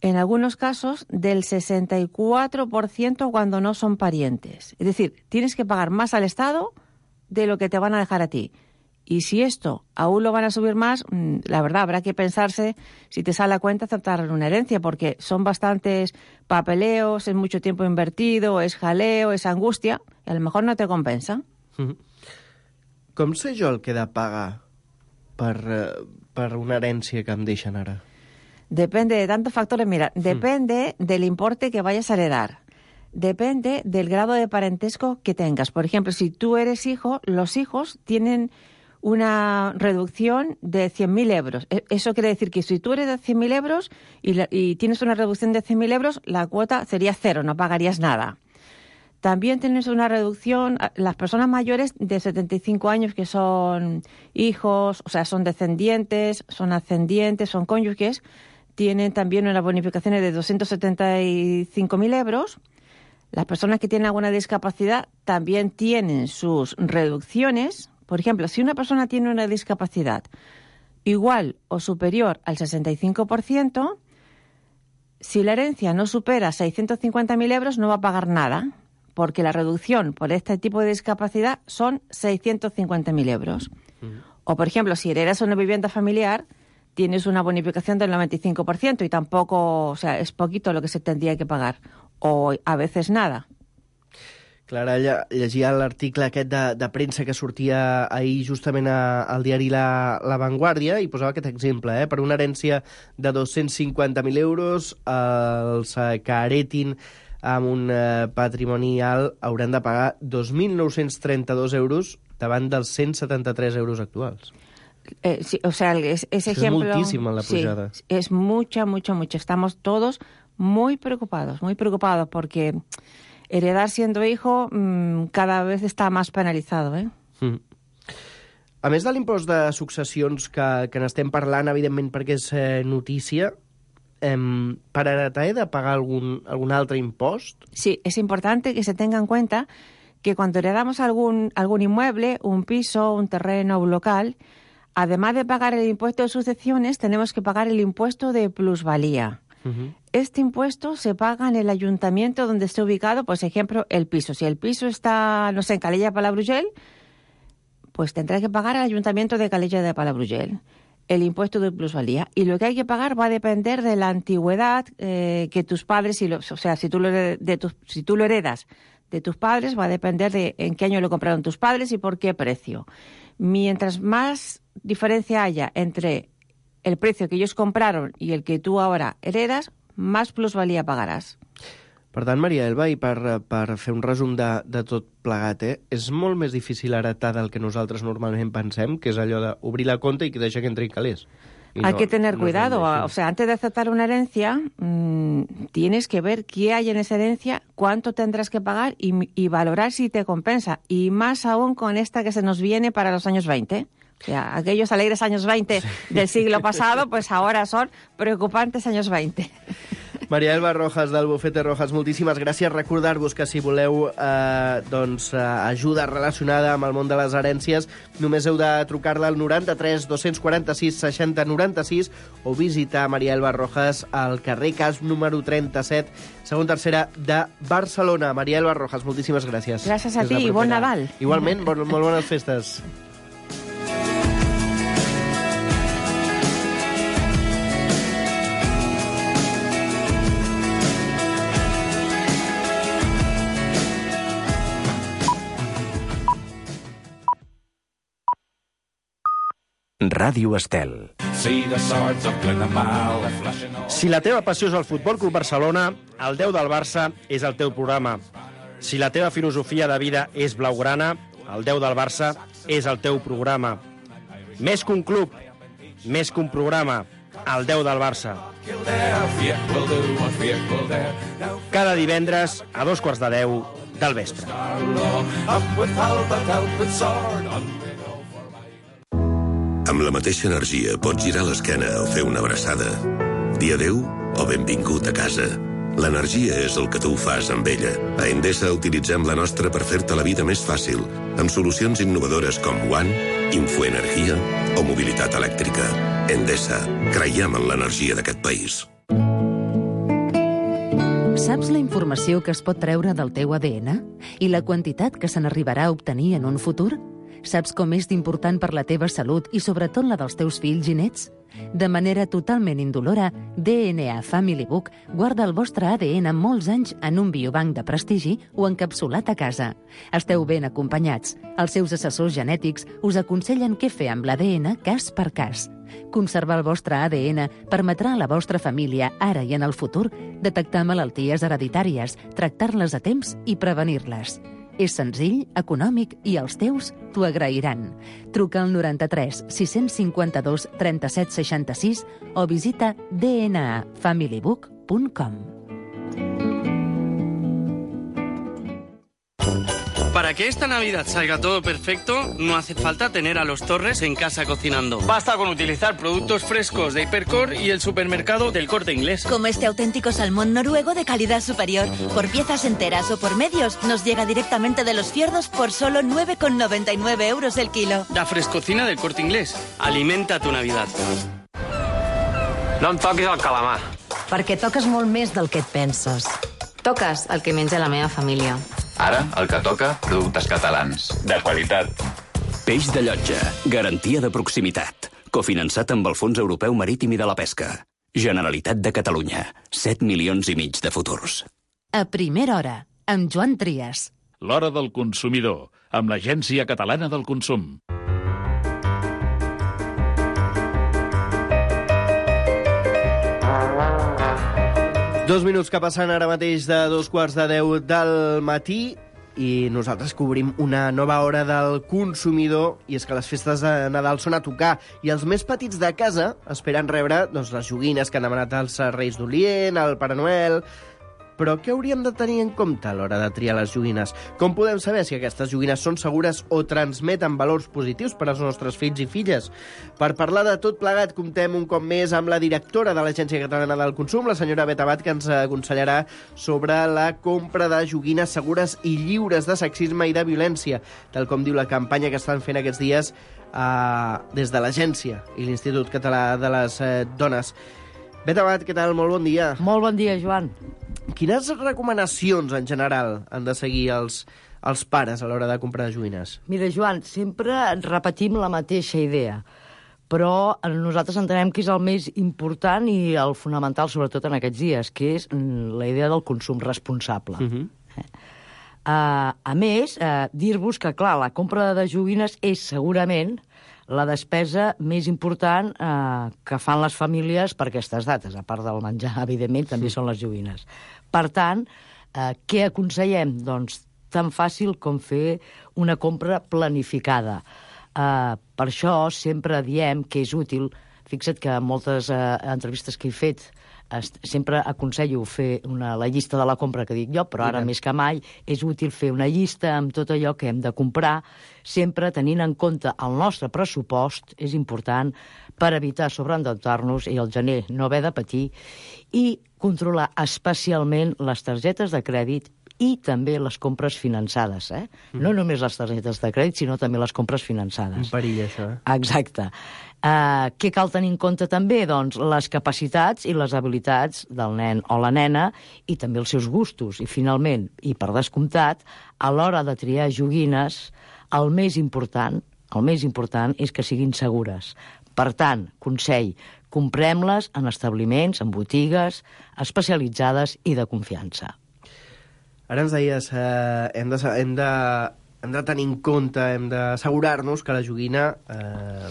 en algunos casos, del sesenta y cuatro por ciento cuando no son parientes. Es decir, tienes que pagar más al Estado de lo que te van a dejar a ti. Y si esto aún lo van a subir más, la verdad, habrá que pensarse si te sale a cuenta aceptar una herencia, porque son bastantes papeleos, es mucho tiempo invertido, es jaleo, es angustia, y a lo mejor no te compensa. Mm-hmm. Com sé jo el que he de pagar per, uh, per una herència que em deixen ara? Depende de tantos factores. Mira, mm. depende del importe que vayas a heredar. Depende del grado de parentesco que tengas. Por ejemplo, si tú eres hijo, los hijos tienen una reducción de cien mil euros. Eso quiere decir que si tú eres de cien mil euros y, la, y tienes una reducción de cien mil euros, la cuota sería cero, no pagarías nada. También tienes una reducción, las personas mayores de setenta y cinco años que son hijos, o sea, son descendientes, son ascendientes, son cónyuges, tienen también unas bonificaciones de doscientos setenta y cinco mil euros. Las personas que tienen alguna discapacidad también tienen sus reducciones. Por ejemplo, si una persona tiene una discapacidad igual o superior al sesenta y cinco por ciento, si la herencia no supera seiscientos cincuenta mil euros, no va a pagar nada, porque la reducción por este tipo de discapacidad son seiscientos cincuenta mil euros. Uh-huh. O, por ejemplo, si heredas una vivienda familiar, tienes una bonificación del noventa y cinco por ciento y tampoco, o sea, es poquito lo que se tendría que pagar, o a veces nada. Clara, llegia l'article aquest de, de premsa que sortia ahir justament a, al diari La, La Vanguardia i posava aquest exemple, eh? Per una herència de dos-cents cinquanta mil euros, els que heretin amb un eh, patrimoni alt hauran de pagar dos mil nou-cents trenta-dos euros davant dels cent setanta-tres euros actuals. Eh, sí, o sea, es, ese es ejemplo... Es muchísima la pujada. Sí, es mucha, mucha, mucha. Estamos todos muy preocupados, muy preocupados porque... heredar siendo hijo mmm, cada vez està més penalitzado, eh? Mm. A més de l'impost de successions que, que n'estem parlant, evidentment perquè és eh, notícia, eh, per heretar he de pagar algun, algun altre impost? Sí, es importante que se tenga en cuenta que cuando heredamos algún, algún inmueble, un piso, un terreno, un local, además de pagar el impuesto de sucesiones, tenemos que pagar el impuesto de plusvalía. Uh-huh. Este impuesto se paga en el ayuntamiento donde esté ubicado, por ejemplo, el piso. Si el piso está, no sé, en Calella de Palafrugell, pues tendrá que pagar al ayuntamiento de Calella de Palafrugell el impuesto de plusvalía. Y lo que hay que pagar va a depender de la antigüedad eh, que tus padres, y lo, o sea, si tú, lo, de tus, si tú lo heredas de tus padres, va a depender de en qué año lo compraron tus padres y por qué precio. Mientras más diferencia haya entre el precio que ellos compraron y el que tú ahora heredas, más plusvalía pagaràs. Per tant, Maria Elba, i per, per fer un resum de, de tot plegat, eh, és molt més difícil heretar del que nosaltres normalment pensem, que és allò d'obrir la compta i que deixa que entrin calés. Y hay no, que tener no cuidado. O sea, antes de aceptar una herencia, mmm, tienes que ver qué hay en esa herencia, cuánto tendrás que pagar y, y valorar si te compensa. Y más aún con esta que se nos viene para los años veinte. O sea, aquellos alegres años veinte del siglo pasado, pues ahora son preocupantes años veinte. Maria Elba Rojas, del Bufete Rojas, moltíssimes gràcies. Recordar-vos que si voleu eh, doncs, eh, ajuda relacionada amb el món de les herències, només heu de trucar-la al noranta-tres dos-cents quaranta-sis seixanta noranta-sis o visitar Maria Elba Rojas al carrer Cas número trenta-set, segon tercera de Barcelona. Maria Elba Rojas, moltíssimes gràcies. Gràcies a ti i bon Nadal. Igualment, bon, molt bones festes. Ràdio Estel. Si la teva passió és el Futbol Club Barcelona, el deu del Barça és el teu programa. Si la teva filosofia de vida és blaugrana, el deu del Barça és el teu programa. Més que un club, més que un programa, el deu del Barça. Cada divendres a dos quarts de deu del vespre. Amb la mateixa energia pots girar l'esquena o fer una abraçada. Dir adéu o benvingut a casa. L'energia és el que tu fas amb ella. A Endesa utilitzem la nostra per fer-te la vida més fàcil, amb solucions innovadores com One, Infoenergia o mobilitat elèctrica. Endesa, creiem en l'energia d'aquest país. Saps la informació que es pot treure del teu A D N? I la quantitat que se n'arribarà a obtenir en un futur? Saps com és d'important per la teva salut i sobretot la dels teus fills i nets? De manera totalment indolora, D N A Family Book guarda el vostre A D N molts anys en un biobanc de prestigi o encapsulat a casa. Esteu ben acompanyats. Els seus assessors genètics us aconsellen què fer amb l'A D N cas per cas. Conservar el vostre A D N permetrà a la vostra família, ara i en el futur, detectar malalties hereditàries, tractar-les a temps i prevenir-les. És senzill, econòmic i els teus t'ho agrairan. Truca al noranta-tres sis-cents cinquanta-dos trenta-set seixanta-sis o visita d n a family book punt com. Para que esta Navidad salga todo perfecto, no hace falta tener a los Torres en casa cocinando. Basta con utilizar productos frescos de Hipercor y el supermercado del Corte Inglés. Como este auténtico salmón noruego de calidad superior. Por piezas enteras o por medios, nos llega directamente de los fiordos por solo nueve con noventa y nueve euros el kilo. La frescocina del Corte Inglés. Alimenta tu Navidad. No em toquis el calamar. Perquè toques molt més del que et penses. Toques el que menja la meva família. Ara, el que toca, productes catalans. De qualitat. Peix de Llotja. Garantia de proximitat. Cofinançat amb el Fons Europeu Marítim i de la Pesca. Generalitat de Catalunya. set milions i mig de futurs. A primera hora, amb Joan Trias. L'hora del consumidor, amb l'Agència Catalana del Consum. Dos minuts que passen ara mateix de dos quarts de deu del matí i nosaltres cobrim una nova hora del consumidor, i és que les festes de Nadal són a tocar i els més petits de casa esperen rebre doncs, les joguines que han demanat els Reis d'Orient, el Pare Noel. Però què hauríem de tenir en compte a l'hora de triar les joguines? Com podem saber si aquestes joguines són segures o transmeten valors positius per als nostres fills i filles? Per parlar de tot plegat, comptem un cop més amb la directora de l'Agència Catalana del Consum, la senyora Bet Abad, que ens aconsellarà sobre la compra de joguines segures i lliures de sexisme i de violència, tal com diu la campanya que estan fent aquests dies eh, des de l'Agència i l'Institut Català de les eh, Dones. Bet Abad, què tal? Molt bon dia. Molt bon dia, Joan. Quines recomanacions, en general, han de seguir els, els pares a l'hora de comprar joguines? Mira, Joan, sempre repetim la mateixa idea, però nosaltres entenem que és el més important i el fonamental, sobretot en aquests dies, que és la idea del consum responsable. Uh-huh. eh? uh, a més, uh, dir-vos que, clar, la compra de joguines és segurament la despesa més important eh, que fan les famílies per aquestes dates. A part del menjar, evidentment, també són les joguines. Per tant, eh, què aconsellem? Doncs tan fàcil com fer una compra planificada. Eh, per això sempre diem que és útil, fixa't que en moltes eh, entrevistes que he fet sempre aconsello fer una, la llista de la compra que dic jo, però ara més que mai és útil fer una llista amb tot allò que hem de comprar, sempre tenint en compte el nostre pressupost, és important, per evitar sobreendeutar-nos i el gener no haver de patir, i controlar especialment les targetes de crèdit i també les compres finançades. Eh? Mm. No només les targetes de crèdit, sinó també les compres finançades. Un perill, això. Eh? Exacte. Uh, què cal tenir en compte també? Doncs les capacitats i les habilitats del nen o la nena i també els seus gustos. I finalment, i per descomptat, a l'hora de triar joguines, el més important, el més important és que siguin segures. Per tant, consell, comprem-les en establiments, en botigues especialitzades i de confiança. Ara ens deies, eh, hem, de, hem, de, hem de tenir en compte, hem d'assegurar-nos que la joguina eh,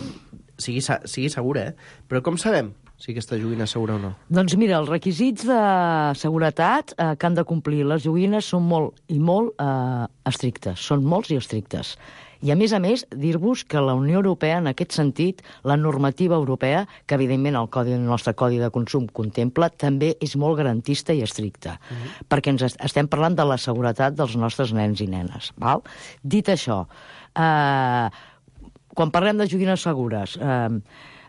sigui, sigui segura, eh? Però com sabem si aquesta joguina és segura o no? Doncs mira, els requisits de seguretat eh, que han de complir les joguines són molt i molt eh, estrictes, són molts i estrictes. I, a més a més, dir-vos que la Unió Europea, en aquest sentit, la normativa europea, que evidentment el, codi, el nostre Codi de Consum contempla, també és molt garantista i estricta, uh-huh. perquè ens est estem parlant de la seguretat dels nostres nens i nenes. Val? Dit això, eh, quan parlem de joguines segures, eh,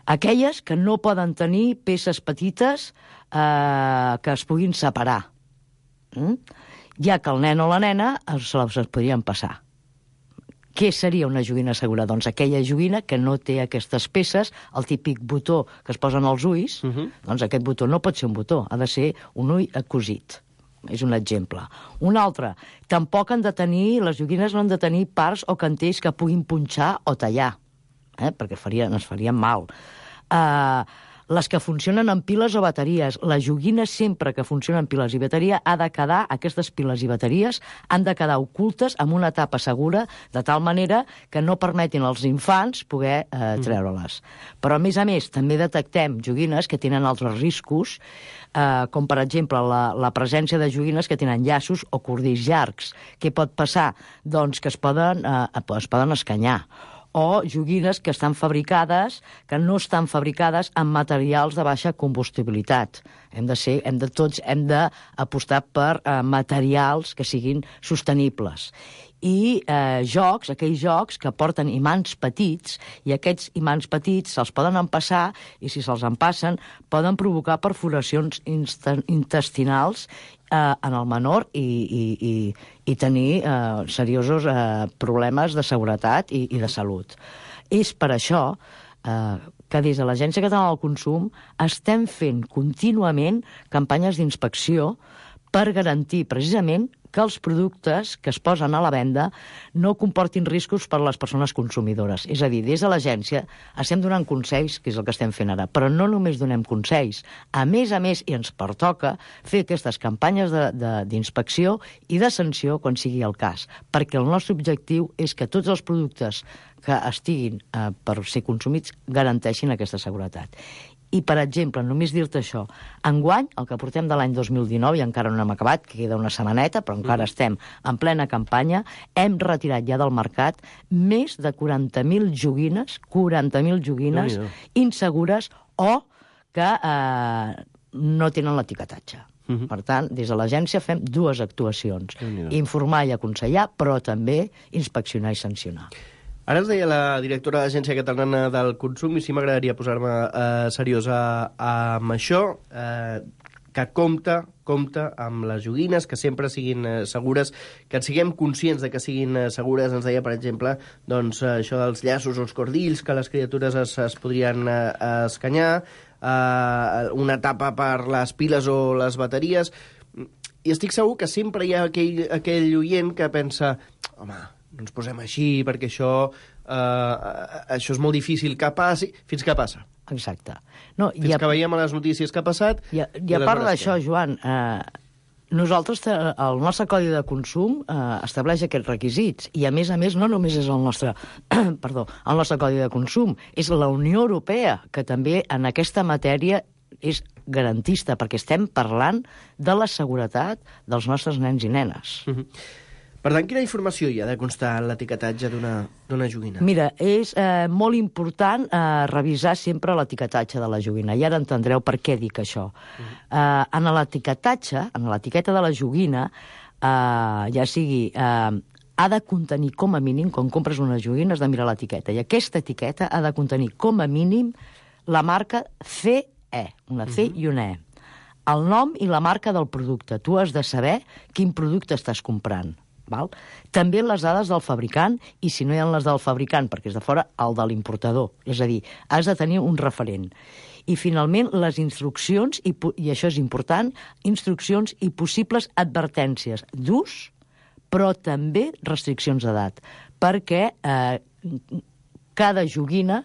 aquelles que no poden tenir peces petites eh, que es puguin separar, mm? ja que el nen o la nena se les podrien passar. Què seria una joguina segura? Doncs aquella joguina que no té aquestes peces, el típic botó que es posen als ulls, uh-huh. doncs aquest botó no pot ser un botó, ha de ser un ull cosit. És un exemple. Un altre, tampoc han de tenir, les joguines no han de tenir parts o cantells que puguin punxar o tallar, eh? perquè farien, ens farien mal. Uh, les que funcionen amb piles o bateries. La joguina sempre que funciona amb piles i bateria ha de quedar, aquestes piles i bateries han de quedar ocultes amb una tapa segura, de tal manera que no permetin als infants poder eh, treure-les. Però, a més a més, també detectem joguines que tenen altres riscos, eh, com, per exemple, la, la presència de joguines que tenen llaços o cordills llargs. Què pot passar? Doncs que es poden, eh, es poden escanyar. O joguines que estan fabricades, que no estan fabricades amb materials de baixa combustibilitat. Hem de ser, hem de tots hem d'apostar per eh, materials que siguin sostenibles. I eh, jocs, aquells jocs que porten imants petits, i aquests imants petits se'ls poden empassar, i si se'ls empassen poden provocar perforacions intestinals eh, en el menor i, i, i, i tenir eh, seriosos eh, problemes de seguretat i, i de salut. És per això eh, que des de l'Agència Catalana del Consum estem fent contínuament campanyes d'inspecció per garantir precisament que els productes que es posen a la venda no comportin riscos per a les persones consumidores. És a dir, des de l'agència estem donant consells, que és el que estem fent ara, però no només donem consells. A més a més, i ens pertoca fer aquestes campanyes d'inspecció i de sanció quan sigui el cas, perquè el nostre objectiu és que tots els productes que estiguin eh, per ser consumits garanteixin aquesta seguretat. I, per exemple, només dir-te això, enguany, el que portem de l'any dos mil dinou, i encara no hem acabat, que queda una setmaneta, però encara mm. estem en plena campanya, hem retirat ja del mercat més de quaranta mil joguines, quaranta mil joguines no, no. insegures o que eh, no tenen l'etiquetatge. Mm-hmm. Per tant, des de l'agència fem dues actuacions, no, no. informar i aconsellar, però també inspeccionar i sancionar. Ara ens deia la directora de l'Agència Catalana del Consum, i sí m'agradaria posar-me eh, seriosa amb això, eh, que compta, compta amb les joguines, que sempre siguin eh, segures, que siguem conscients de que siguin eh, segures. Ens deia, per exemple, doncs, eh, això dels llaços o els cordills, que les criatures es, es podrien eh, escanyar, eh, una tapa per les piles o les bateries, i estic segur que sempre hi ha aquell, aquell oient que pensa, home, no ens posem així, perquè això, eh, això és molt difícil que passi, fins que passa. Exacte. No, fins a... que veiem a les notícies que ha passat... I a, i a part d'això, Joan, eh, nosaltres, el nostre Codi de Consum eh, estableix aquests requisits, i a més a més no només és el nostre, perdó, el nostre Codi de Consum, és la Unió Europea, que també en aquesta matèria és garantista, perquè estem parlant de la seguretat dels nostres nens i nenes. Mm-hmm. Per tant, quina informació hi ha de constar en l'etiquetatge d'una joguina? Mira, és eh, molt important eh, revisar sempre l'etiquetatge de la joguina, i ara entendreu per què dic això. Uh-huh. eh, en l'etiquetatge, en l'etiqueta de la joguina, eh, ja sigui... Eh, ha de contenir com a mínim, quan compres una joguina, has de mirar l'etiqueta, i aquesta etiqueta ha de contenir com a mínim la marca C E, una C uh-huh. i una E. El nom i la marca del producte. Tu has de saber quin producte estàs comprant. Val? També les dades del fabricant, i si no hi ha les del fabricant, perquè és de fora, el de l'importador. És a dir, has de tenir un referent. I, finalment, les instruccions, i, i això és important, instruccions i possibles advertències d'ús, però també restriccions d'edat, perquè eh, cada joguina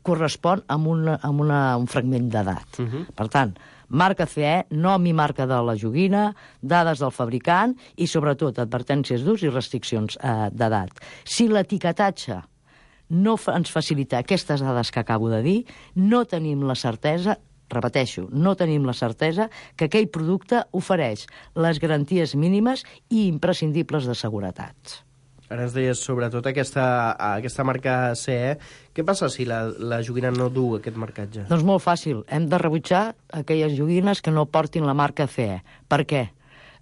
correspon amb, una, amb una, un fragment d'edat. Uh-huh. Per tant, marca C E, nom i marca de la joguina, dades del fabricant i, sobretot, advertències d'ús i restriccions eh, d'edat. Si l'etiquetatge no ens facilita aquestes dades que acabo de dir, no tenim la certesa, repeteixo, no tenim la certesa que aquell producte ofereix les garanties mínimes i imprescindibles de seguretat. Ara ens deies, sobretot, aquesta, aquesta marca C E. Què passa si la, la joguina no du aquest marcatge? Doncs molt fàcil. Hem de rebutjar aquelles joguines que no portin la marca C E. Per què?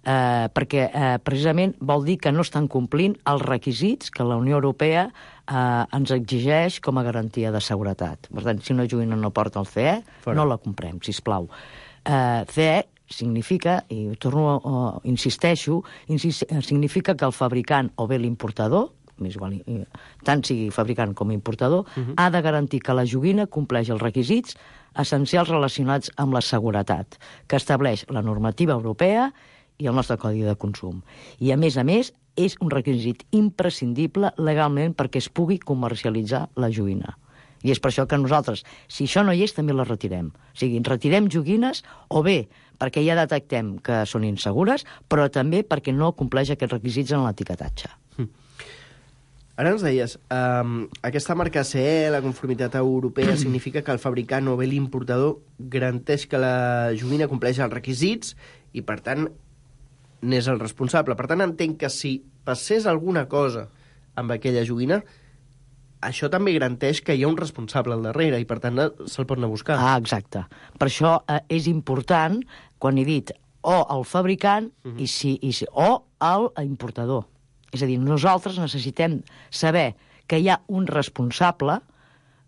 Eh, perquè eh, precisament vol dir que no estan complint els requisits que la Unió Europea eh, ens exigeix com a garantia de seguretat. Per tant, si una joguina no porta el C E, Fora. no la comprem, sisplau. Eh, C E significa, i torno, uh, insisteixo, insist, significa que el fabricant o bé l'importador, més igual, tant sigui fabricant com importador, uh-huh. ha de garantir que la joguina compleix els requisits essencials relacionats amb la seguretat, que estableix la normativa europea i el nostre codi de consum. I, a més a més, és un requisit imprescindible legalment perquè es pugui comercialitzar la joguina. I és per això que nosaltres, si això no hi és, també la retirem. O sigui, retirem joguines, o bé perquè ja detectem que són insegures, però també perquè no compleix aquests requisits en l'etiquetatge. Mm. Ara ens deies, um, aquesta marca C E, la conformitat europea, significa que el fabricant o bé l'importador garanteix que la joguina compleix els requisits i, per tant, n'és el responsable. Per tant, entenc que si passés alguna cosa amb aquella joguina, això també garanteix que hi ha un responsable al darrere i, per tant, se'l pot anar a buscar. Ah, exacte. Per això eh, és important, quan he dit o el fabricant uh-huh. i si, i si, o el importador. És a dir, nosaltres necessitem saber que hi ha un responsable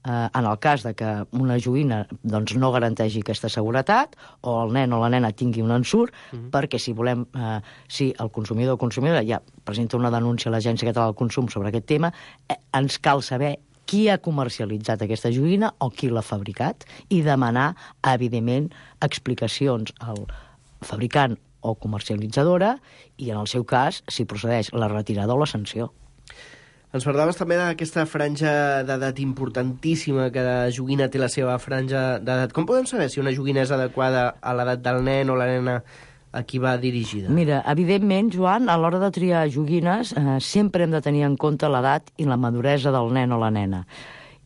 eh, en el cas de que una joguina doncs, no garanteixi aquesta seguretat o el nen o la nena tingui un ensurt, uh-huh. perquè si volem, eh, si el consumidor o consumidora ja presenta una denúncia a l'Agència Catalana del Consum sobre aquest tema, eh, ens cal saber qui ha comercialitzat aquesta joguina o qui l'ha fabricat i demanar, evidentment, explicacions al fabricant o comercialitzadora i, en el seu cas, si procedeix la retirada o la sanció. Ens parlaves també d'aquesta franja d'edat importantíssima, que la joguina té la seva franja d'edat. Com podem saber si una joguina és adequada a l'edat del nen o la nena a qui va dirigida? Mira, evidentment, Joan, a l'hora de triar joguines eh, sempre hem de tenir en compte l'edat i la maduresa del nen o la nena.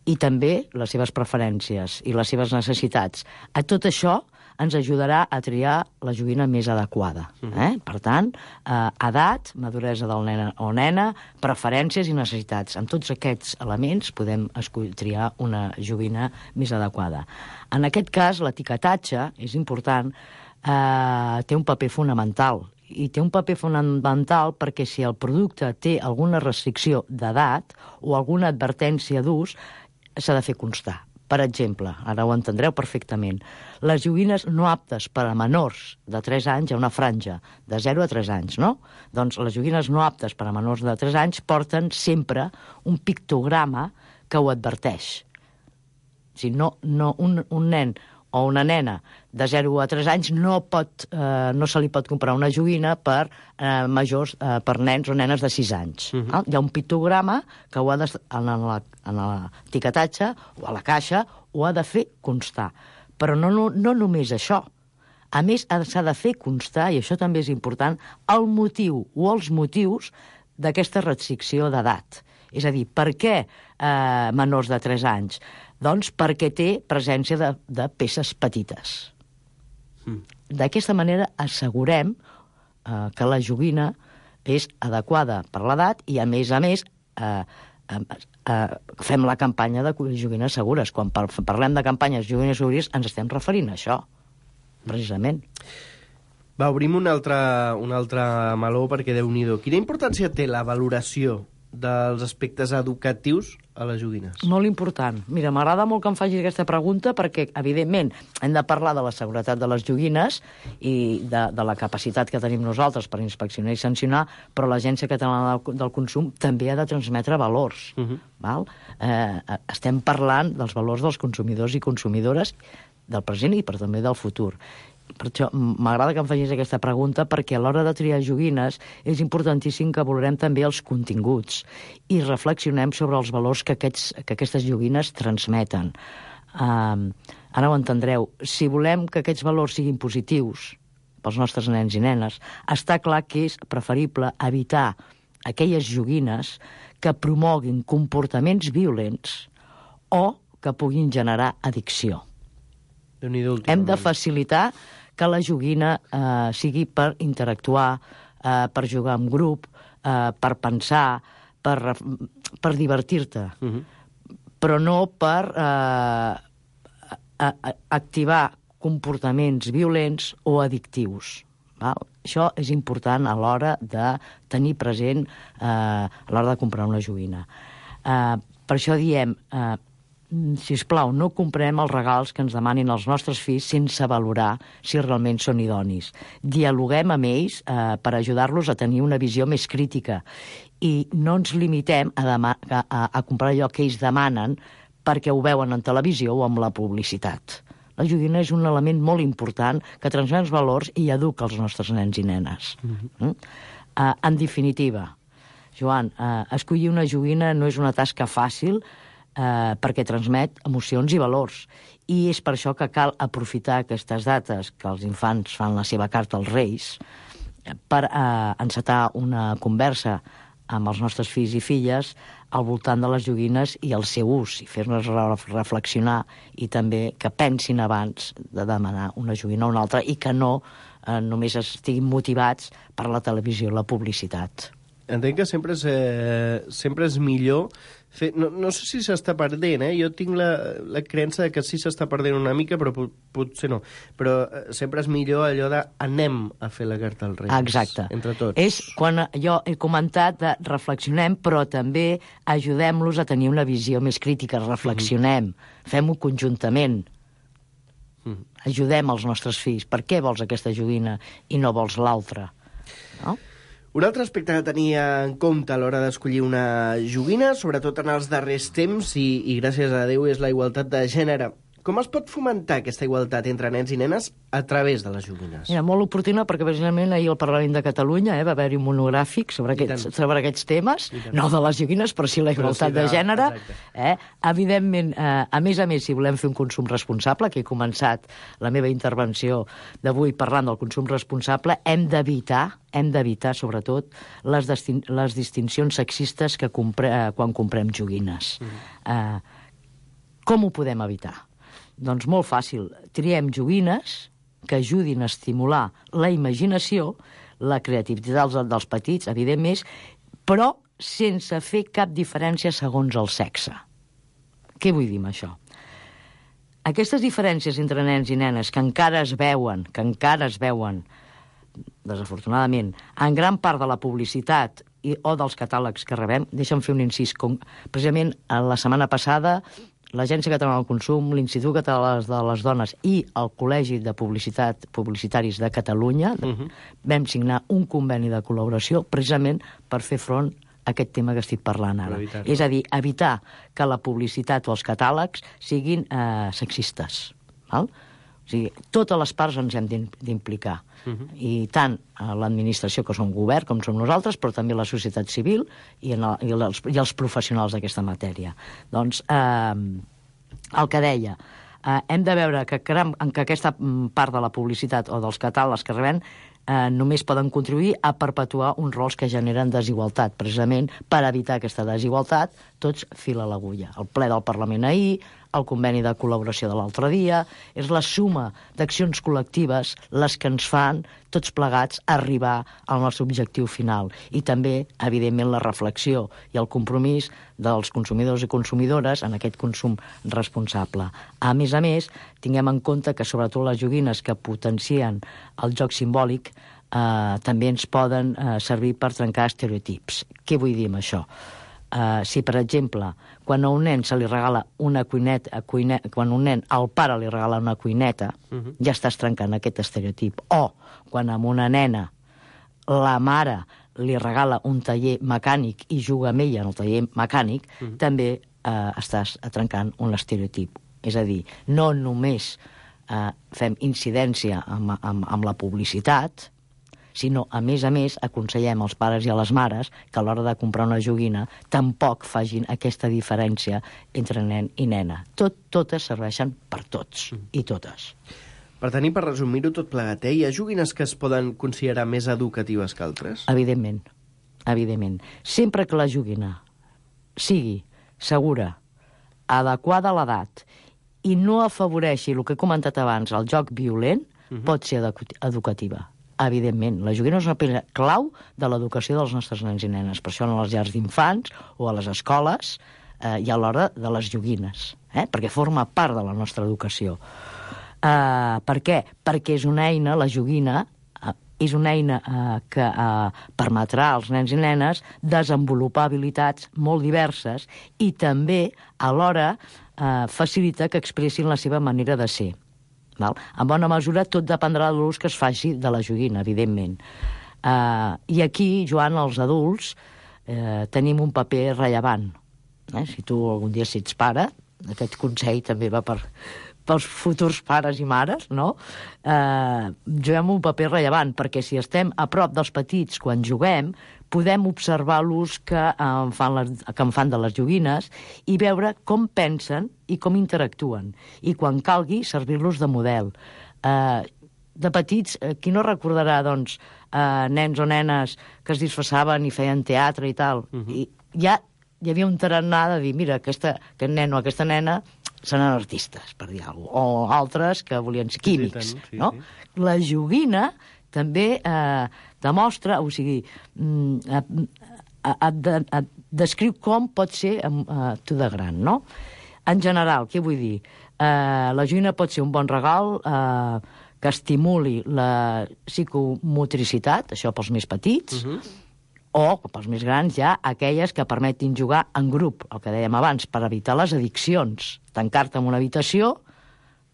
I també les seves preferències i les seves necessitats. A tot això ens ajudarà a triar la joguina més adequada. Eh? Per tant, eh, edat, maduresa del nen o nena, preferències i necessitats. Amb tots aquests elements podem escollir, triar una joguina més adequada. En aquest cas, l'etiquetatge, és important, eh, té un paper fonamental. I té un paper fonamental perquè si el producte té alguna restricció d'edat o alguna advertència d'ús, s'ha de fer constar. Per exemple, ara ho entendreu perfectament, les joguines no aptes per a menors de tres anys, hi ha una franja de zero a tres anys, no? Doncs les joguines no aptes per a menors de tres anys porten sempre un pictograma que ho adverteix. O sigui, no, no, un, un nen o una nena de zero a tres anys no, pot, eh, no se li pot comprar una joguina per eh, majors, eh, per nens o nenes de sis anys. Uh-huh. Hi ha un pictograma que ho ha de, en l'etiquetatge o a la caixa ho ha de fer constar. Però no, no, no només això. A més, s'ha de fer constar, i això també és important, el motiu o els motius d'aquesta restricció d'edat. És a dir, per què eh, menors de tres anys? Doncs perquè té presència de, de peces petites. Mm. D'aquesta manera assegurem eh, que la joguina és adequada per l'edat i, a més a més, eh, eh, eh, fem la campanya de joguines segures. Quan par parlem de campanyes de joguines segures ens estem referint a això, precisament. Va, obrim un altre, un altre meló perquè, Déu-n'hi-do, quina importància té la valoració dels aspectes educatius a les joguines? Molt important. Mira, m'agrada molt que em facis aquesta pregunta perquè, evidentment, hem de parlar de la seguretat de les joguines i de, de la capacitat que tenim nosaltres per inspeccionar i sancionar, però l'Agència Catalana del, del Consum també ha de transmetre valors. Uh-huh. Val? Eh, estem parlant dels valors dels consumidors i consumidores del present i però també del futur. Per això m'agrada que em facis aquesta pregunta perquè a l'hora de triar joguines és importantíssim que valorem també els continguts i reflexionem sobre els valors que, aquests, que aquestes joguines transmeten. Um, ara ho entendreu. Si volem que aquests valors siguin positius pels nostres nens i nenes, està clar que és preferible evitar aquelles joguines que promoguin comportaments violents o que puguin generar addicció. Hem de facilitar que la joguina eh, sigui per interactuar, eh, per jugar en grup, eh, per pensar, per, per divertir-te, uh-huh. però no per eh, a, a, activar comportaments violents o addictius. Val? Això és important a l'hora de tenir present eh, a l'hora de comprar una joguina. Eh, per això diem, eh, sisplau, no comprem els regals que ens demanin els nostres fills sense valorar si realment són idonis. Dialoguem amb ells eh, per ajudar-los a tenir una visió més crítica i no ens limitem a, dema- a, a comprar allò que ells demanen perquè ho veuen en televisió o amb la publicitat. La joguina és un element molt important que transmet els valors i educa els nostres nens i nenes. Mm-hmm. Mm? Uh, en definitiva, Joan, uh, escollir una joguina no és una tasca fàcil uh, perquè transmet emocions i valors. I és per això que cal aprofitar aquestes dates que els infants fan la seva carta als Reis per uh, encetar una conversa amb els nostres fills i filles al voltant de les joguines i el seu ús, i fer-nos reflexionar i també que pensin abans de demanar una joguina o una altra i que no eh, només estiguin motivats per la televisió i la publicitat. Entenc que sempre és, eh, sempre és millor fer... No, no sé si s'està perdent, eh? Jo tinc la, la creença que sí s'està perdent una mica, però pot, potser no. Però eh, sempre és millor allò de anem a fer la carta als Reis. Exacte. Entre tots. És quan jo he comentat de reflexionem, però també ajudem-los a tenir una visió més crítica. Reflexionem, mm-hmm. fem-ho conjuntament. Mm-hmm. Ajudem els nostres fills. Per què vols aquesta joguina i no vols l'altra? No? Un altre aspecte que tenia en compte a l'hora d'escollir una joguina, sobretot en els darrers temps, i, i gràcies a Déu, és la igualtat de gènere. Com es pot fomentar aquesta igualtat entre nens i nenes a través de les joguines? Era molt oportuna perquè precisament ahir al Parlament de Catalunya eh, va haver-hi un monogràfic sobre aquests, sobre aquests temes, no de les joguines, però sí la igualtat sí de, de gènere. Eh? Evidentment, eh, a més a més, si volem fer un consum responsable, que he començat la meva intervenció d'avui parlant del consum responsable, hem d'evitar hem d'evitar, sobretot, les, destin- les distincions sexistes que compre- eh, quan comprem joguines. Mm. Eh, com ho podem evitar? Doncs molt fàcil. Triem joguines que ajudin a estimular la imaginació, la creativitat dels, dels petits, evidentment, però sense fer cap diferència segons el sexe. Què vull dir amb això? Aquestes diferències entre nens i nenes que encara es veuen, que encara es veuen, desafortunadament, en gran part de la publicitat i, o dels catàlegs que rebem, deixa'm fer un incís. Com, precisament, la setmana passada, l'Agència Catalana del Consum, l'Institut Català de les Dones i el Col·legi de Publicitat Publicitaris de Catalunya uh-huh. vam signar un conveni de col·laboració precisament per fer front a aquest tema que estic parlant ara. És a dir, evitar que la publicitat o els catàlegs siguin eh, sexistes. Val? O sigui, totes les parts ens hem d'implicar. Uh-huh. I tant a l'administració, que som govern, com som nosaltres, però també la societat civil i, en el, i, els, i els professionals d'aquesta matèria. Doncs, eh, el que deia, eh, hem de veure que, en que aquesta part de la publicitat o dels catàlegs que rebem eh, només poden contribuir a perpetuar uns rols que generen desigualtat. Precisament per evitar aquesta desigualtat, tots fil a l'agulla. El ple del Parlament ahir, el conveni de col·laboració de l'altre dia, és la suma d'accions col·lectives les que ens fan, tots plegats, arribar al nostre objectiu final. I també, evidentment, la reflexió i el compromís dels consumidors i consumidores en aquest consum responsable. A més a més, tinguem en compte que sobretot les joguines que potencien el joc simbòlic eh, també ens poden eh, servir per trencar estereotips. Què vull dir amb això? Uh, si, per exemple, quan a un nen se li regala una cuineta, cuineta quan un nen al pare li regala una cuineta, uh-huh. ja estàs trencant aquest estereotip. O quan a una nena la mare li regala un taller mecànic i juga amb ella en el taller mecànic, uh-huh. també uh, estàs trencant un estereotip. És a dir, no només uh, fem incidència amb, amb, amb la publicitat, sinó, a més a més, aconsellem als pares i a les mares que a l'hora de comprar una joguina tampoc facin aquesta diferència entre nen i nena. Tot, totes serveixen per tots mm. i totes. Per tenir, per resumir-ho tot plegat, eh? Hi ha joguines que es poden considerar més educatives que altres? Evidentment. evidentment. Sempre que la joguina sigui segura, adequada a l'edat, i no afavoreixi el que he comentat abans, el joc violent, uh-huh. pot ser educativa. Evidentment, la joguina és una peça clau de l'educació dels nostres nens i nenes. Per això en les llars d'infants o a les escoles eh, hi ha l'hora de les joguines, eh? perquè forma part de la nostra educació. Eh, per què? Perquè és una eina, la joguina, eh, és una eina eh, que eh, permetrà als nens i nenes desenvolupar habilitats molt diverses i també, alhora, eh, facilita que expressin la seva manera de ser. Val? En bona mesura, tot dependrà de l'ús que es faci de la joguina, evidentment. Uh, I aquí, Joan, els adults, eh, tenim un paper rellevant. Eh? Si tu algun dia si ets pare, aquest consell també va per, pels futurs pares i mares, no? Eh, juguem un paper rellevant, perquè si estem a prop dels petits quan juguem, podem observar l'ús que, eh, fan les, que en fan de les joguines i veure com pensen i com interactuen. I quan calgui, servir-los de model. Eh, de petits, eh, qui no recordarà, doncs, eh, nens o nenes que es disfressaven i feien teatre i tal? Uh-huh. I ja hi havia un tarannà de dir, mira, aquesta, aquest nen o aquesta nena seran artistes, per dir alguna cosa. O altres que volien ser químics, sí, sí, no? Sí. La joguina també eh, demostra, o sigui, et, et descriu com pot ser eh, tu de gran, no? En general, què vull dir? Eh, la joguina pot ser un bon regal eh, que estimuli la psicomotricitat, això pels més petits, uh-huh. o, pels més grans, ja aquelles que permetin jugar en grup, el que dèiem abans, per evitar les addiccions. Tancar-te en una habitació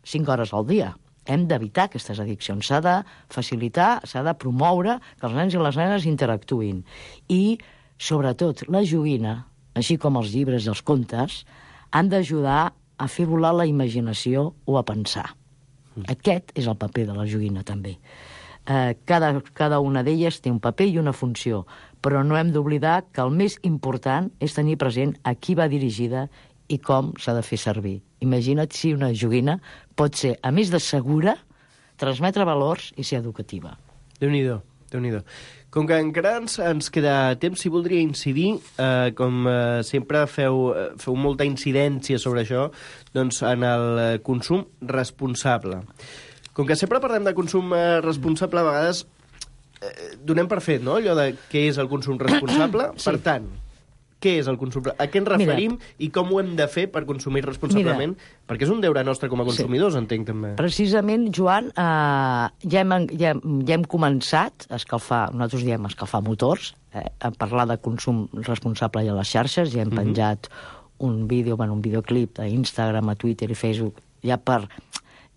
cinc hores al dia. Hem d'evitar aquestes addiccions. S'ha de facilitar, s'ha de promoure que els nens i les nenes interactuïn. I, sobretot, la joguina, així com els llibres i els contes, han d'ajudar a fer volar la imaginació o a pensar. Mm. Aquest és el paper de la joguina, també. Eh, cada, cada una d'elles té un paper i una funció, però no hem d'oblidar que el més important és tenir present a qui va dirigida i com s'ha de fer servir. Imagina't si una joguina pot ser, a més de segura, transmetre valors i ser educativa. Déu-n'hi-do, Déu-n'hi-do. Com que encara ens, ens queda temps, si voldria incidir, eh, com eh, sempre feu, feu molta incidència sobre això, doncs en el consum responsable. Com que sempre parlem de consum eh, responsable, a vegades eh, donem per fet, no?, allò de què és el consum responsable. Sí. Per tant, què és el consum? A què ens referim? Mira, i com ho hem de fer per consumir responsablement? Mira, perquè és un deure nostre com a consumidors, sí. Entenc, també. Precisament, Joan, eh, ja, hem, ja, ja hem començat a escalfar, nosaltres diem escalfar motors, eh, a parlar de consum responsable a les xarxes, ja hem uh-huh. penjat un vídeo, bueno, un videoclip a Instagram, a Twitter i Facebook, ja per...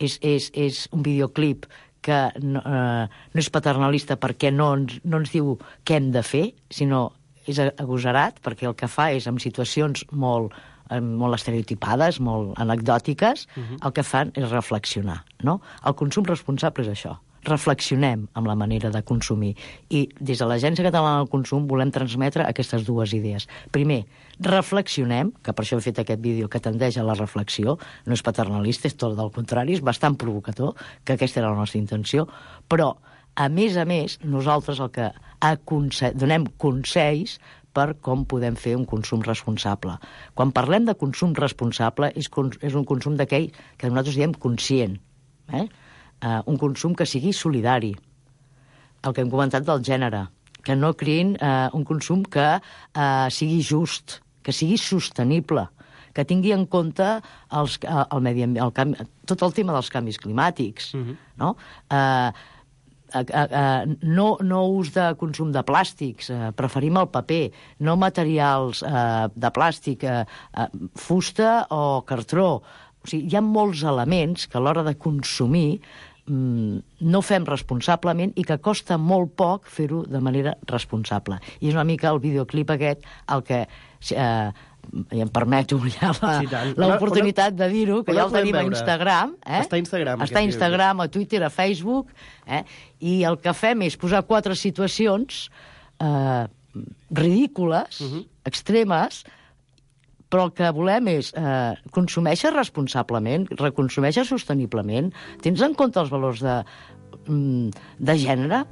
És, és, és un videoclip que no, eh, no és paternalista perquè no ens, no ens diu què hem de fer, sinó és agosarat perquè el que fa és, en situacions molt, molt estereotipades, molt anecdòtiques, uh-huh. el que fan és reflexionar, no? El consum responsable és això. Reflexionem amb la manera de consumir. I des de l'Agència Catalana del Consum volem transmetre aquestes dues idees. Primer, reflexionem, que per això he fet aquest vídeo que tendeix a la reflexió, no és paternalista, és tot del contrari, és bastant provocador, que aquesta era la nostra intenció, però a més a més, nosaltres el que aconse- donem consells per com podem fer un consum responsable. Quan parlem de consum responsable, és, cons- és un consum d'aquell que nosaltres diem conscient. Eh? Uh, un consum que sigui solidari. El que hem comentat del gènere. Que no creïn uh, un consum que uh, sigui just, que sigui sostenible, que tingui en compte els, uh, el medi, el canvi, tot el tema dels canvis climàtics. Uh-huh. No? Uh, Uh, uh, uh, no, no ús de consum de plàstics, uh, preferim el paper, no materials uh, de plàstic, uh, uh, fusta o cartró. O sigui, hi ha molts elements que a l'hora de consumir um, no fem responsablement i que costa molt poc fer-ho de manera responsable. I és una mica el videoclip aquest el que... Uh, i em permeto ja la, sí, l'oportunitat de dir-ho, que ja el tenim a Instagram. Eh? Està a Instagram. Està a Instagram, a Twitter, a Facebook, eh? I el que fem és posar quatre situacions eh, ridícules, uh-huh. extremes, però el que volem és eh, consumeixer responsablement, reconsumeixer sosteniblement, tens en compte els valors de, de gènere,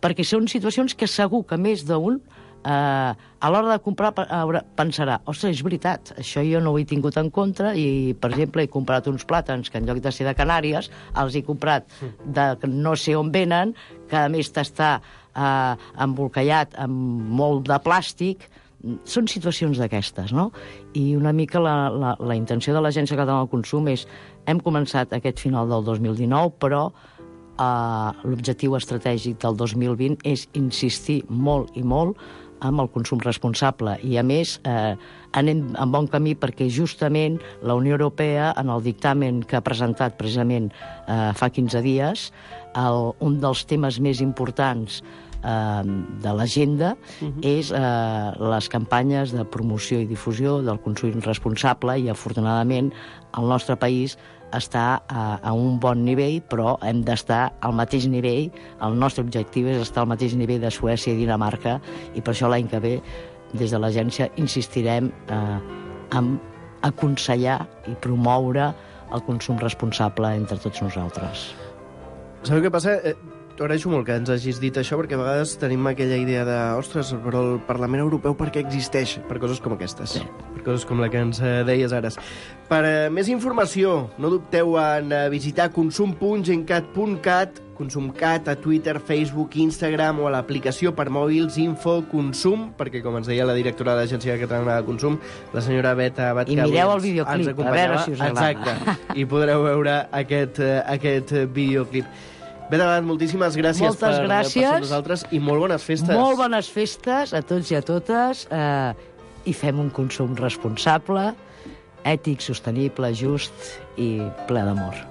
perquè són situacions que segur que més d'un eh, a l'hora de comprar pensarà, ostres, és veritat, això jo no ho he tingut en compte i, per exemple, he comprat uns plàtans que en lloc de ser de Canàries els he comprat de no sé on venen, que a més t'està eh, embolcallat amb molt de plàstic. Són situacions d'aquestes, no? I una mica la, la, la intenció de l'Agència Catalana del Consum és, hem començat aquest final del dos mil dinou, però eh, l'objectiu estratègic del dos mil vint és insistir molt i molt amb el consum responsable. I, a més, eh, anem en bon camí perquè justament la Unió Europea, en el dictamen que ha presentat precisament eh, fa quinze dies, el, un dels temes més importants de l'agenda uh-huh. és eh, les campanyes de promoció i difusió del consum responsable i, afortunadament, el nostre país està a, a un bon nivell, però hem d'estar al mateix nivell. El nostre objectiu és estar al mateix nivell de Suècia i Dinamarca, i per això l'any que ve, des de l'agència, insistirem eh, en aconsellar i promoure el consum responsable entre tots nosaltres. Sabeu què passa? Eh... T'agraeixo molt que ens hagis dit això, perquè a vegades tenim aquella idea de, ostres, però el Parlament Europeu per què existeix? Per coses com aquestes. Sí. Per coses com la que ens deies ara. Per uh, més informació, no dubteu en uh, visitar consum punt gencat punt cat, ConsumCat a Twitter, Facebook, Instagram o a l'aplicació per mòbils Info Consum, perquè, com ens deia la directora de l'Agència Catalana de Consum, la senyora Beta Abad, I mireu el videoclip, a veure si us agrada. Exacte, i podreu veure aquest, uh, aquest videoclip. Beta Abad, moltíssimes gràcies Moltes per gràcies. per ser nosaltres i molt bones festes. Molt bones festes a tots i a totes eh, i fem un consum responsable, ètic, sostenible, just i ple d'amor.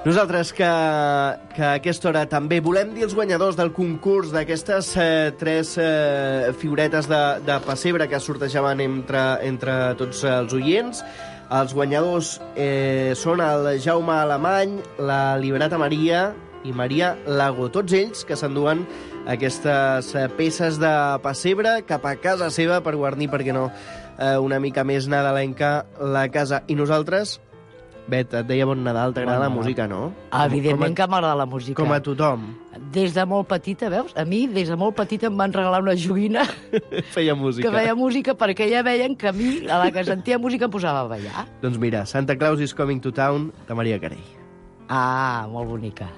Nosaltres, que, que a aquesta hora també volem dir els guanyadors del concurs d'aquestes eh, tres eh, figuretes de, de pessebre que sortejaven entre, entre tots els oients. Els guanyadors eh, són el Jaume Alemany, la Liberata Maria i Maria Lago. Tots ells que s'enduen aquestes eh, peces de pessebre cap a casa seva per guarnir, perquè no, eh, una mica més nadalenca la casa. I nosaltres, Bet, et deia bon Nadal, t'agrada la música, no? Evidentment que m'agrada la música. Com a tothom. Des de molt petita, veus? A mi, des de molt petita, em van regalar una joguina feia música. que feia música, perquè ja veien que a mi, a la que sentia música, em posava a ballar. Doncs mira, Santa Claus is Coming to Town, de Maria Carey. Ah, molt bonica.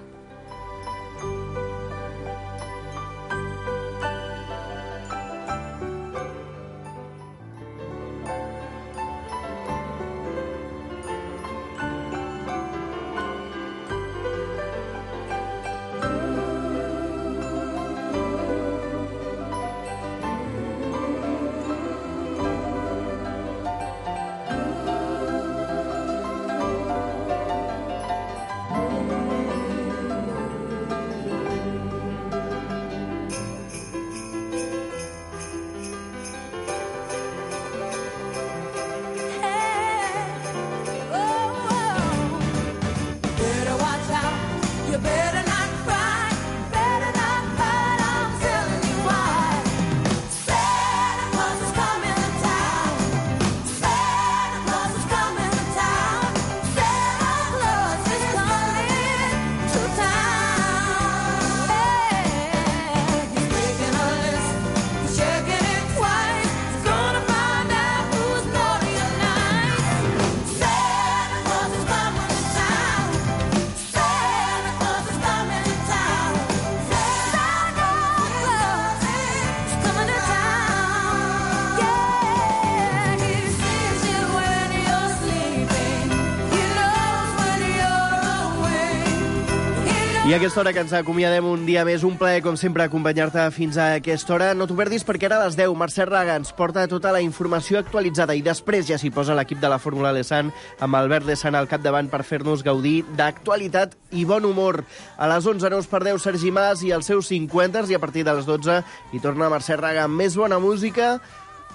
I a aquesta hora que ens acomiadem un dia més, un plaer, com sempre, acompanyar-te fins a aquesta hora. No t'ho perdis perquè ara a les deu Mercè Raga ens porta tota la informació actualitzada i després ja s'hi posa l'equip de la Fórmula Lesan amb Albert Lesan al capdavant per fer-nos gaudir d'actualitat i bon humor. A les onze no us perdeu Sergi Mas i els seus cinquanters i a partir de les dotze hi torna Mercè Raga amb més bona música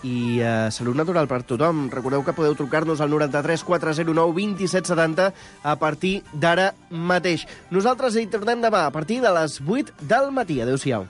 i uh, salut natural per tothom. Recordeu que podeu trucar-nos al noranta-tres quatre zero nou vint set setanta a partir d'ara mateix. Nosaltres hi tornem demà a partir de les vuit del matí. Adéu-siau.